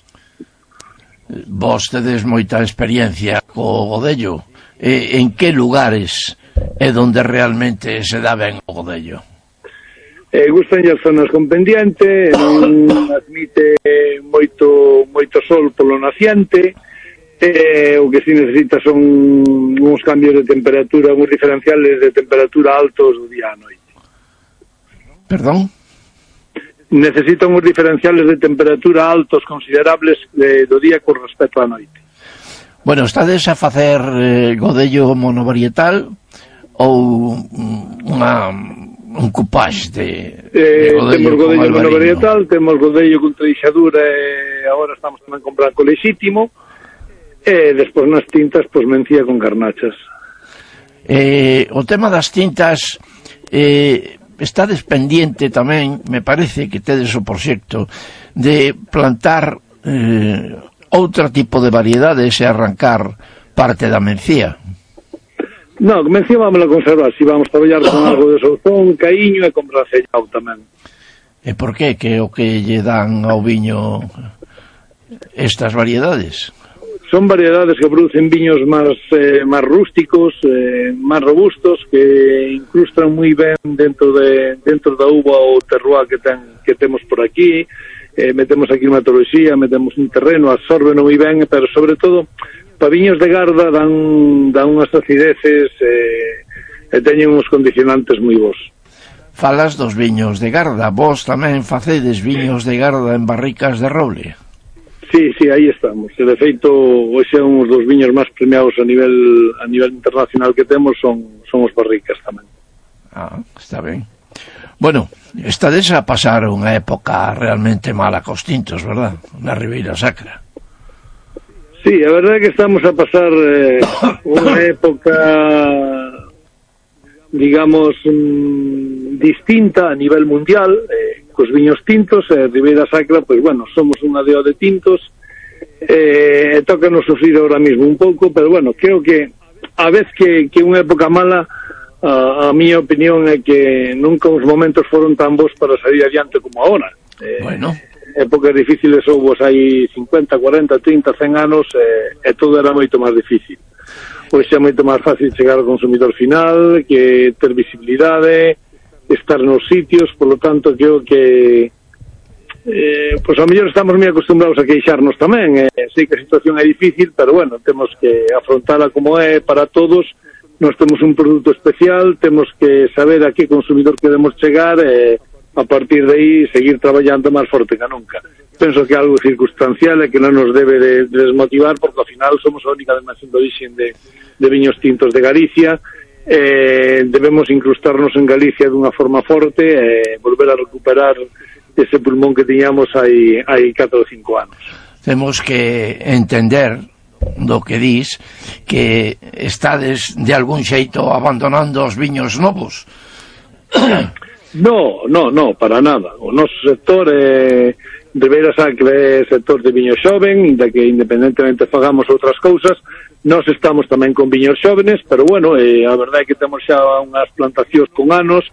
Vos tedes moita experiencia co godello. Eh, en que lugares é onde realmente se dá ben o godello? Eh, gustan as zonas con pendiente, non admite moito moito sol polo naciente, eh, o que si necesita son uns cambios de temperatura, uns diferenciales de temperatura altos do día a noite. Perdón? Necesita uns diferenciales de temperatura altos considerables de, do día con respecto á noite. Bueno, estades a facer eh, godello monovarietal ou unha, un cupage de, eh, de godello? Temos godello con monovarietal, temos godello con treixadura e agora estamos tamén con branco lexítimo, e despois nas tintas, pois mencía con garnachas. Eh, o tema das tintas, eh, estades pendiente tamén, me parece que tedes o proxecto de plantar eh, outro tipo de variedades e arrancar parte da mencía. Non, mencía vamos a conservar, si vamos a traballar con algo de souzón, caíño e con bracellao tamén. E por que que o que lle dan ao viño estas variedades? Son variedades que producen viños máis eh, máis rústicos, eh, máis robustos, que incrustan moi ben dentro de dentro da uva ou terroir que ten que temos por aquí. Eh, metemos aquí climatoloxía, metemos un terreno, absorben moi ben, pero sobre todo para viños de garda dan, dan unhas acideces eh, e teñen uns condicionantes moi bons. Falas dos viños de garda, vos tamén facedes viños de garda en barricas de roble? Sí, sí, aí estamos. E de feito, hoxe un dos viños máis premiados a nivel a nivel internacional que temos son, son os barricas tamén. Ah, está ben. Bueno, estades a pasar unha época realmente mala cos tintos, verdad? Na Ribeira Sacra. Sí, a verdade é que estamos a pasar eh, unha época, digamos, mm, distinta a nivel mundial, eh, cos viños tintos, e eh, Ribeira Sacra, pois, bueno, somos unha deo de tintos, e eh, toca nos sufrir ahora mismo un pouco, pero, bueno, creo que a vez que, que unha época mala, a, a miña opinión é que nunca os momentos foron tan bons para salir adiante como agora. Eh, bueno. Épocas difíciles houve hai cincuenta, cuarenta, trinta, cen anos, e, e todo era moito máis difícil. Hoxe é moito máis fácil chegar ao consumidor final, que ter visibilidade, estar nos sitios, por lo tanto, creo que eh, pois a mellor estamos moi acostumbrados a queixarnos tamén, eh, sei que a situación é difícil, pero bueno, temos que afrontala como é para todos. Nós temos un produto especial, temos que saber a que consumidor queremos chegar e a partir de aí seguir traballando máis forte que nunca. Penso que é algo circunstancial e que non nos debe de, de desmotivar, porque ao final somos a única denominación de origen de, de viños tintos de Galicia. Eh, debemos incrustarnos en Galicia dunha forma forte e volver a recuperar ese pulmón que tiñamos hai, hai catro ou cinco anos. Temos que entender do que dis que estades de algún xeito abandonando os viños novos. No, no, no, para nada. O noso sector é Ribeira Sacra é sector de viño xoven, inda que independentemente fagamos outras cousas, nós estamos tamén con viños xóvenes, pero bueno, eh, a verdade é que temos xa unhas plantacións con anos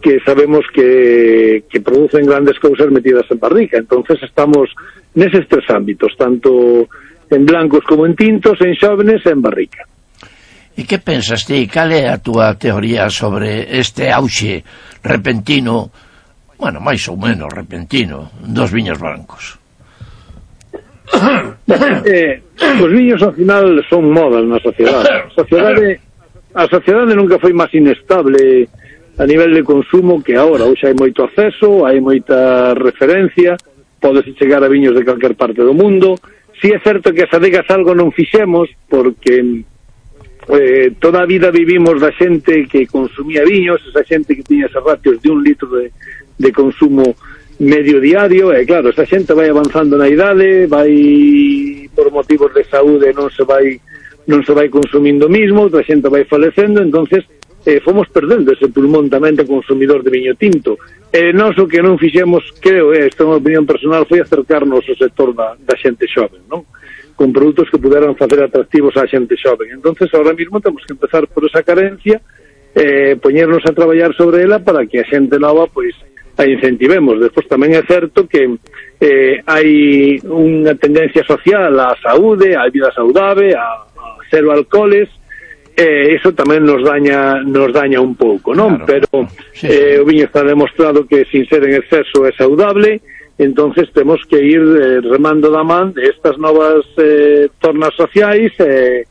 que sabemos que, que producen grandes cousas metidas en barrica, entonces estamos neses tres ámbitos, tanto en blancos como en tintos, en xóvenes e en barrica. E que pensas ti? Cal é a túa teoría sobre este auxe repentino, bueno, máis ou menos repentino, dos viños blancos? Eh, os viños ao final son modas na sociedade. A sociedade, a sociedade nunca foi máis inestable a nivel de consumo que agora. Hoxe hai moito acceso, hai moita referencia, podese chegar a viños de calquer parte do mundo. Si é certo que as adegas algo non fixemos, porque Eh, toda a vida vivimos da xente que consumía viños, esa xente que tiña esos ratios de un litro de, de consumo medio diario, e claro, esa xente vai avanzando na idade, vai por motivos de saúde non se vai non se vai consumindo mismo, outra xente vai falecendo, entonces eh, fomos perdendo ese pulmón tamén de consumidor de viño tinto. E nós o que non fixemos, creo, eh, esta é unha opinión personal, foi acercarnos ao sector da, da xente xoven, non? Con produtos que puderan facer atractivos á xente xoven. Entonces, ahora mismo temos que empezar por esa carencia, eh, poñernos a traballar sobre ela para que a xente nova, pois, a incentivemos. Despois tamén é certo que eh, hai unha tendencia social á saúde, á vida saudável, a, a cero alcoholes, e iso tamén nos daña nos daña un pouco, non? Claro. Pero sí, eh, o viño está demostrado que sin ser en exceso é saudable, entonces temos que ir eh, remando da man de estas novas eh, tornas sociais eh,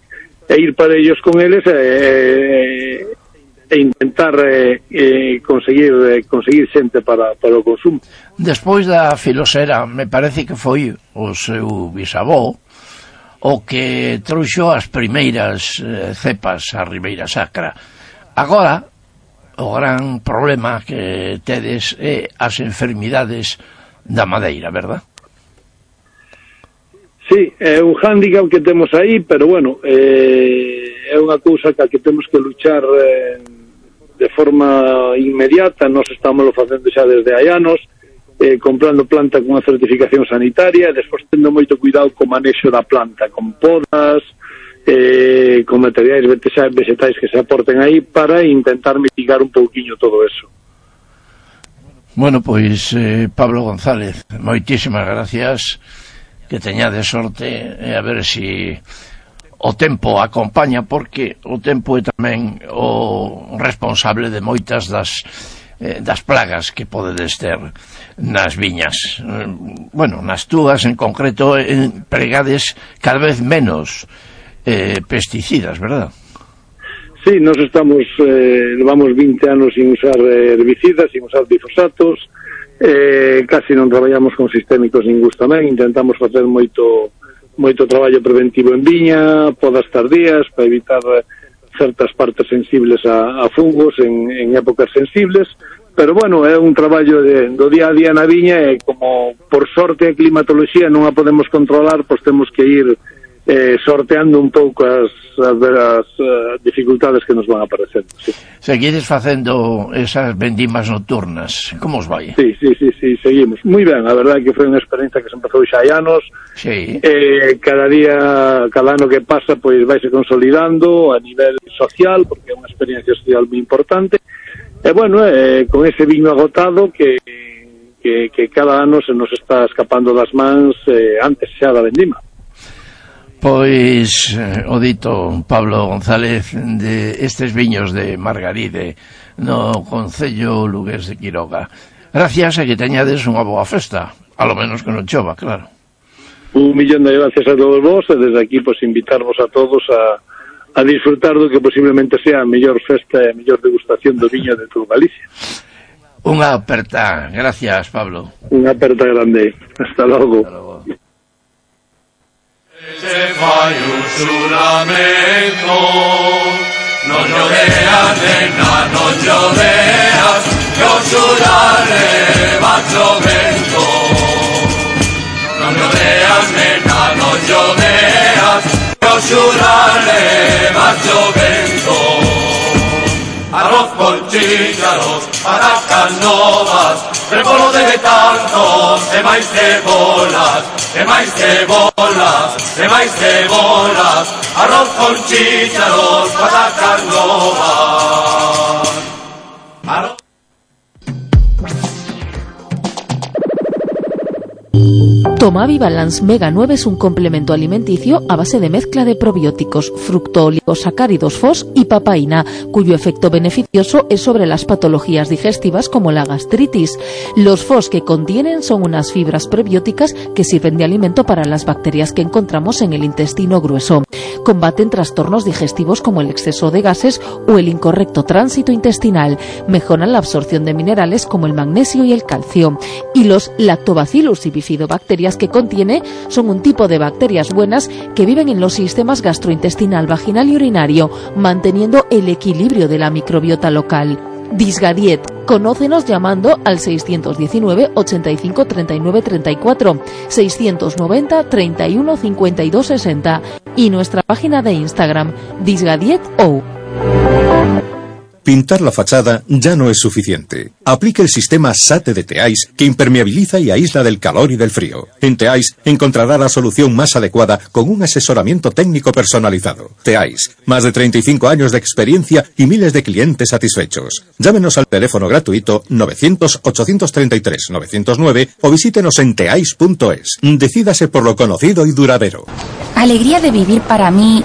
e ir para ellos con eles e, eh, e intentar eh, eh, conseguir eh, conseguir xente para, para o consumo. Despois da filosera, me parece que foi o seu bisavó o que trouxo as primeiras eh, cepas a Ribeira Sacra. Agora, o gran problema que tedes é as enfermidades da madeira, verdad? Sí, é un hándicap que temos aí, pero bueno, eh, é unha cousa que, que temos que luchar eh, de forma inmediata. Nós estamos facendo xa desde hai anos, Eh, comprando planta con unha certificación sanitaria e despois tendo moito cuidado co manexo da planta, con podas, eh, con materiais vegetais que se aporten aí para intentar mitigar un pouquiño todo eso. Bueno, pois eh, Pablo González, moitísimas gracias, que teñades sorte, e a ver si o tempo acompaña, porque o tempo é tamén o responsable de moitas das das plagas que podedes ter nas viñas. Bueno, nas túas en concreto empregades cada vez menos eh, pesticidas, verdad? Sí, nos estamos eh, levamos vinte anos sin usar herbicidas, sin usar glifosatos, eh, casi non traballamos con sistémicos ningún tamén, intentamos facer moito moito traballo preventivo en viña, podas tardías para evitar certas partes sensibles a, a fungos en, en épocas sensibles, pero bueno, é un traballo de, do día a día na viña e como por sorte a climatoloxía non a podemos controlar, pois temos que ir eh, sorteando un pouco as, as, as uh, dificultades que nos van aparecendo. Sí. Seguides facendo esas vendimas nocturnas, como os vai? Sí, sí, sí, sí, seguimos. Moi ben, a verdade que foi unha experiencia que se empezou xa hai anos. Sí. Eh, cada día, cada ano que pasa, pois vaise consolidando a nivel social, porque é unha experiencia social moi importante. E bueno, eh, con ese viño agotado que, que, que cada ano se nos está escapando das mans eh, antes xa da vendima. Pois eh, o dito Pablo González de estes viños de Margaride no concello lugués de Quiroga. Gracias e que teñades unha boa festa, a lo menos que non chova, claro. Un millón de gracias a todos vos e desde aquí pues invitarvos a todos a, a disfrutar do que posiblemente sea a mellor festa e a mellor degustación do viño de toda Galicia. Unha aperta, gracias Pablo. Unha aperta grande, hasta logo. Hasta logo. Se fai un xuramento, non lloveas, nena, non lloveas, que o xurare va chovendo. Non lloveas, nena, non lloveas, que o xurare va chovendo. Arroz con chícharos, patacas novas, repolo de tantos, e máis cebolas, e máis cebolas, e máis cebolas, arroz con chícharos, patacas novas. Arroz... Tomavi Balance Mega nueve es un complemento alimenticio a base de mezcla de probióticos, fructooligosacáridos F O S y papaína, cuyo efecto beneficioso es sobre las patologías digestivas como la gastritis. Los F O S que contienen son unas fibras prebióticas que sirven de alimento para las bacterias que encontramos en el intestino grueso. Combaten trastornos digestivos como el exceso de gases o el incorrecto tránsito intestinal. Mejoran la absorción de minerales como el magnesio y el calcio. Y los lactobacillus y bifidobacterias que contiene son un tipo de bacterias buenas que viven en los sistemas gastrointestinal, vaginal y urinario, manteniendo el equilibrio de la microbiota local. Disgadiet. Conócenos llamando al seiscientos diecinueve, ochenta y cinco, treinta y nueve, treinta y cuatro, seiscientos noventa, treinta y uno, cincuenta y dos, sesenta y nuestra página de Instagram, disgadietou. Pintar la fachada ya no es suficiente. Aplique el sistema S A T de Teais que impermeabiliza y aísla del calor y del frío. En Teais encontrará la solución más adecuada con un asesoramiento técnico personalizado. Teais, más de treinta y cinco años de experiencia y miles de clientes satisfechos. Llámenos al teléfono gratuito novecientos, ochocientos treinta y tres, novecientos nueve o visítenos en teais punto es. Decídase por lo conocido y duradero. Alegría de vivir para mí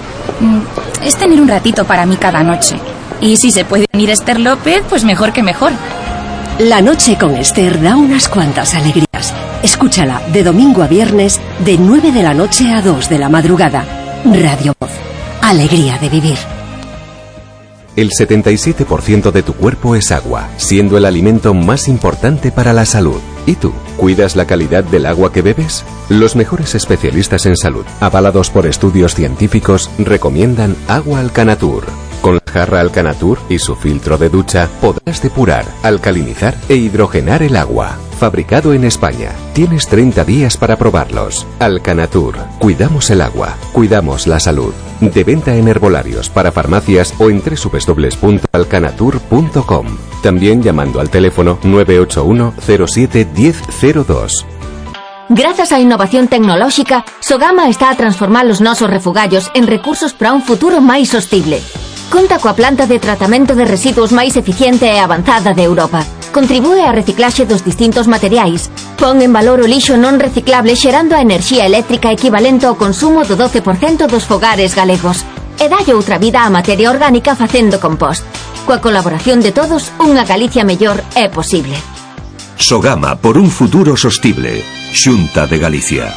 es tener un ratito para mí cada noche. Y si se puede venir Esther López, pues mejor que mejor. La noche con Esther da unas cuantas alegrías. Escúchala de domingo a viernes, de nueve de la noche a dos de la madrugada. Radio Voz. Alegría de vivir. El setenta y siete por ciento de tu cuerpo es agua, siendo el alimento más importante para la salud. ¿Y tú? ¿Cuidas la calidad del agua que bebes? Los mejores especialistas en salud, avalados por estudios científicos, recomiendan Agua Alcanatur. Con la jarra Alcanatur y su filtro de ducha podrás depurar, alcalinizar e hidrogenar el agua. Fabricado en España. Tienes treinta días para probarlos. Alcanatur. Cuidamos el agua. Cuidamos la salud. De venta en herbolarios, para farmacias o en doble u doble u doble u punto alcanatur punto com. También llamando al teléfono nueve ocho uno, cero siete, diez, cero dos. Gracias a innovación tecnolóxica, Sogama está a transformar los nosos refugallos en recursos para un futuro máis sostible. Conta coa planta de tratamento de residuos máis eficiente e avanzada de Europa. Contribúe á reciclaxe dos distintos materiais. Pon en valor o lixo non reciclable xerando a enerxía eléctrica equivalente ao consumo do doce por cento dos fogares galegos. E dalle outra vida á materia orgánica facendo compost. Coa colaboración de todos, unha Galicia mellor é posible. Sogama por un futuro sostible. Xunta de Galicia.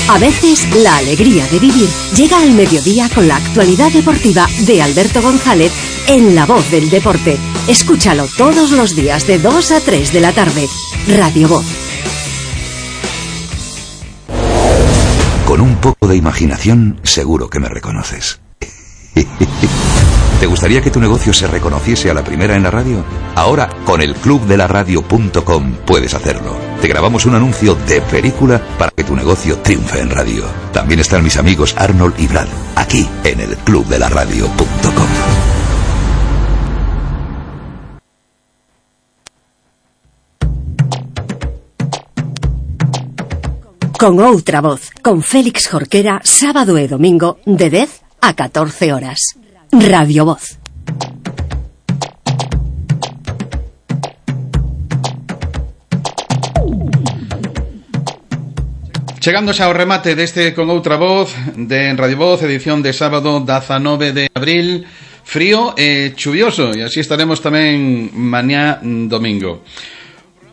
A veces, la alegría de vivir llega al mediodía con la actualidad deportiva de Alberto González en La Voz del Deporte. Escúchalo todos los días de dos a tres de la tarde. Radio Voz. Con un poco de imaginación, seguro que me reconoces. ¿Te gustaría que tu negocio se reconociese a la primera en la radio? Ahora, con el club de la radio punto com puedes hacerlo. Te grabamos un anuncio de película para que tu negocio triunfe en radio. También están mis amigos Arnold y Brad, aquí en el club de la radio punto com. Con outra voz, con Félix Jorquera, sábado e domingo, de dez a catorce horas. Radio Voz. Chegándose ao remate deste Con Outra Voz de Radio Voz, edición de sábado dezanove de abril, frío e chuvioso, e así estaremos tamén mañá domingo.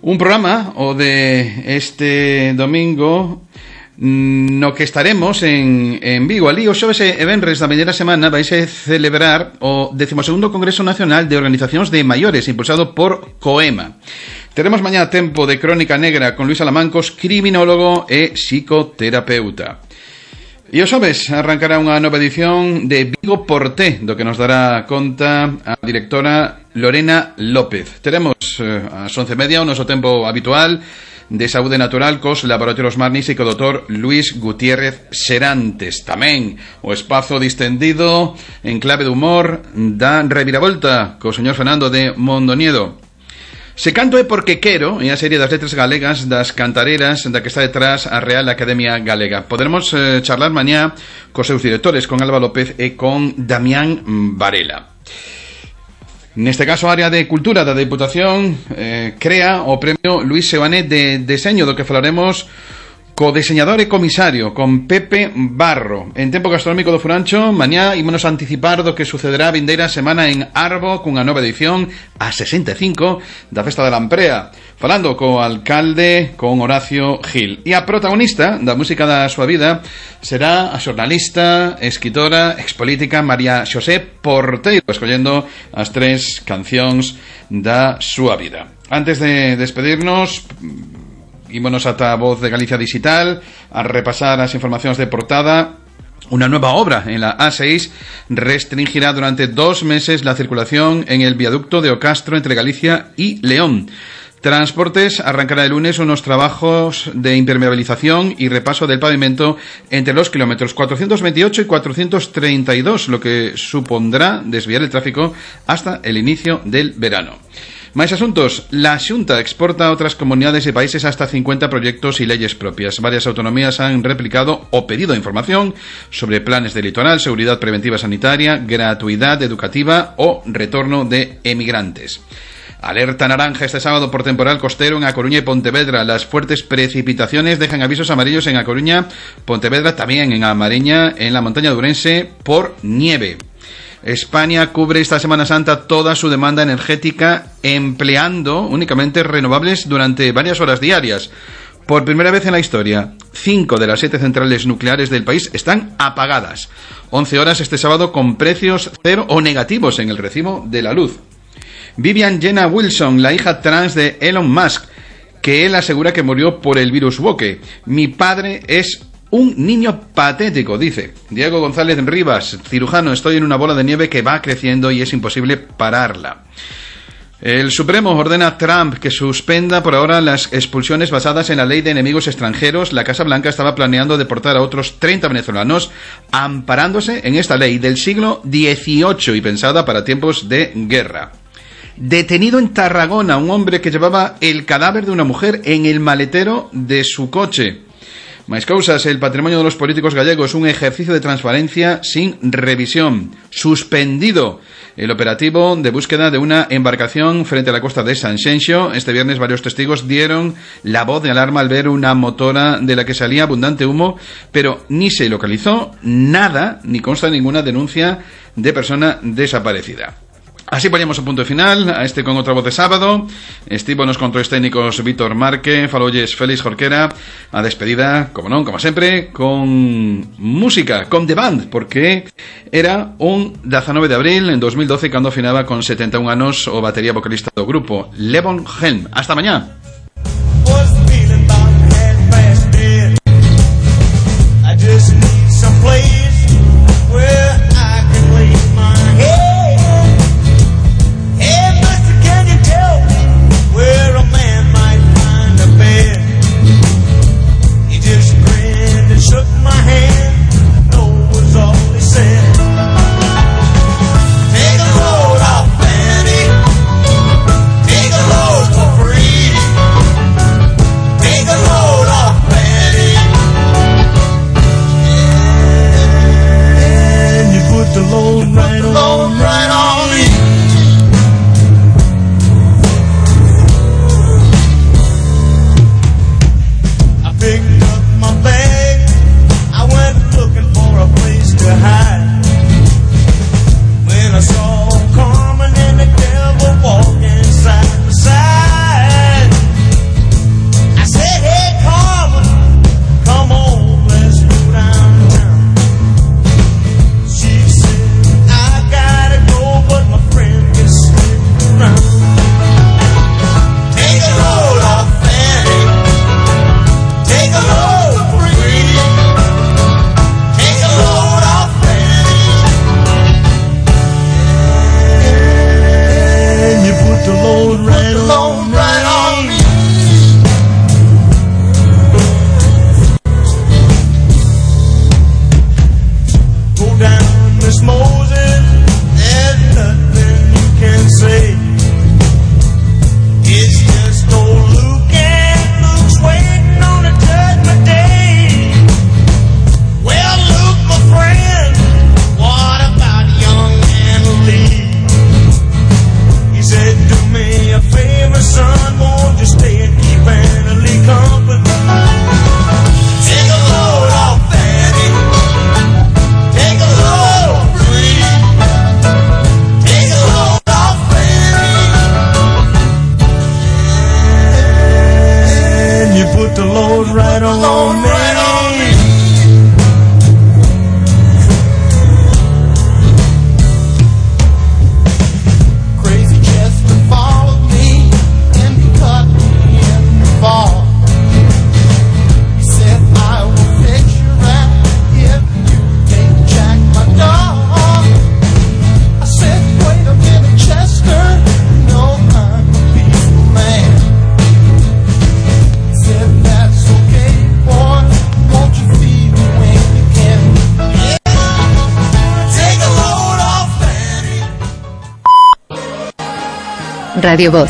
Un programa, o de este domingo, no que estaremos en, en Vigo. Alí o xoves e venres da meñera semana vaise celebrar o decimosegundo Congreso Nacional de Organizacións de Maiores, impulsado por COEMA. Teremos mañá tempo de Crónica Negra con Luis Alamancos, criminólogo e psicoterapeuta. E o xoves arrancará unha nova edición de Vigo Porté, do que nos dará conta a directora Lorena López. Teremos eh, ás once e media o noso tempo habitual de Saúde Natural cos Laboratorios Marnis e co doutor Luis Gutiérrez Serantes. Tamén o espazo distendido en clave de humor da Reviravolta co señor Fernando de Mondoniedo. Se canto é porque quero, é a serie das letras galegas das cantareras da que está detrás a Real Academia Galega. Poderemos eh, charlar mañá cos seus directores, con Alba López e con Damián Varela. Neste caso, a área de cultura da Deputación eh, crea o premio Luis Seoane de deseño, do que falaremos co diseñador e comisario, con Pepe Barro. En tempo gastronómico do Furancho, mañá ímonos a anticipar do que sucederá a vindeira semana en Arbo, cunha nova edición a sesenta e cinco da Festa da Lamprea, falando co alcalde, con Horacio Gil. E a protagonista da música da súa vida será a xornalista, escritora, expolítica María Xosé Porteiro, escollendo as tres cancións da súa vida. Antes de despedirnos, ímonos ata a Voz de Galicia Digital a repasar as informacións de portada. Una nueva obra en la A seis restringirá durante dos meses la circulación en el viaducto de Ocastro entre Galicia y León. Transportes arrancará el lunes unos trabajos de impermeabilización y repaso del pavimento entre los kilómetros cuatrocientos veintiocho y cuatrocientos treinta y dos, lo que supondrá desviar el tráfico hasta el inicio del verano. Más asuntos. La Xunta exporta a otras comunidades y países hasta cincuenta proyectos y leyes propias. Varias autonomías han replicado o pedido información sobre planes de litoral, seguridad preventiva sanitaria, gratuidad educativa o retorno de emigrantes. Alerta naranja este sábado por temporal costero en A Coruña y Pontevedra. Las fuertes precipitaciones dejan avisos amarillos en A Coruña, Pontevedra, también en A Mariña, en la montaña de Ourense, por nieve. España cubre esta Semana Santa toda su demanda energética empleando únicamente renovables durante varias horas diarias. Por primera vez en la historia, cinco de las siete centrales nucleares del país están apagadas. once horas este sábado con precios cero o negativos en el recibo de la luz. Vivian Jenna Wilson, la hija trans de Elon Musk, que él asegura que murió por el virus Woke. Mi padre es un niño patético, dice. Diego González Rivas, cirujano, estoy en una bola de nieve que va creciendo y es imposible pararla. El Supremo ordena a Trump que suspenda por ahora las expulsiones basadas en la ley de enemigos extranjeros. La Casa Blanca estaba planeando deportar a otros treinta venezolanos amparándose en esta ley del siglo dieciocho y pensada para tiempos de guerra. Detenido en Tarragona un hombre que llevaba el cadáver de una mujer en el maletero de su coche. Más causas, el patrimonio de los políticos gallegos, un ejercicio de transparencia sin revisión. Suspendido el operativo de búsqueda de una embarcación frente a la costa de Sanxenxo. Este viernes varios testigos dieron la voz de alarma al ver una motora de la que salía abundante humo, pero ni se localizó nada, ni consta ninguna denuncia de persona desaparecida. Así ponemos un punto final a este Con Outra Voz de sábado. Estivo nos controles técnicos Víctor Marque, falolles Félix Jorquera. A despedida, como non, como sempre, con música, con The Band, porque era un dezanove de abril en dos mil doce cando afinaba con setenta e un anos o batería vocalista do grupo, Levon Helm. Hasta mañá. Shook my hand, no was all he said. Take a load off, Fanny. Take a load for free. Radio Voz,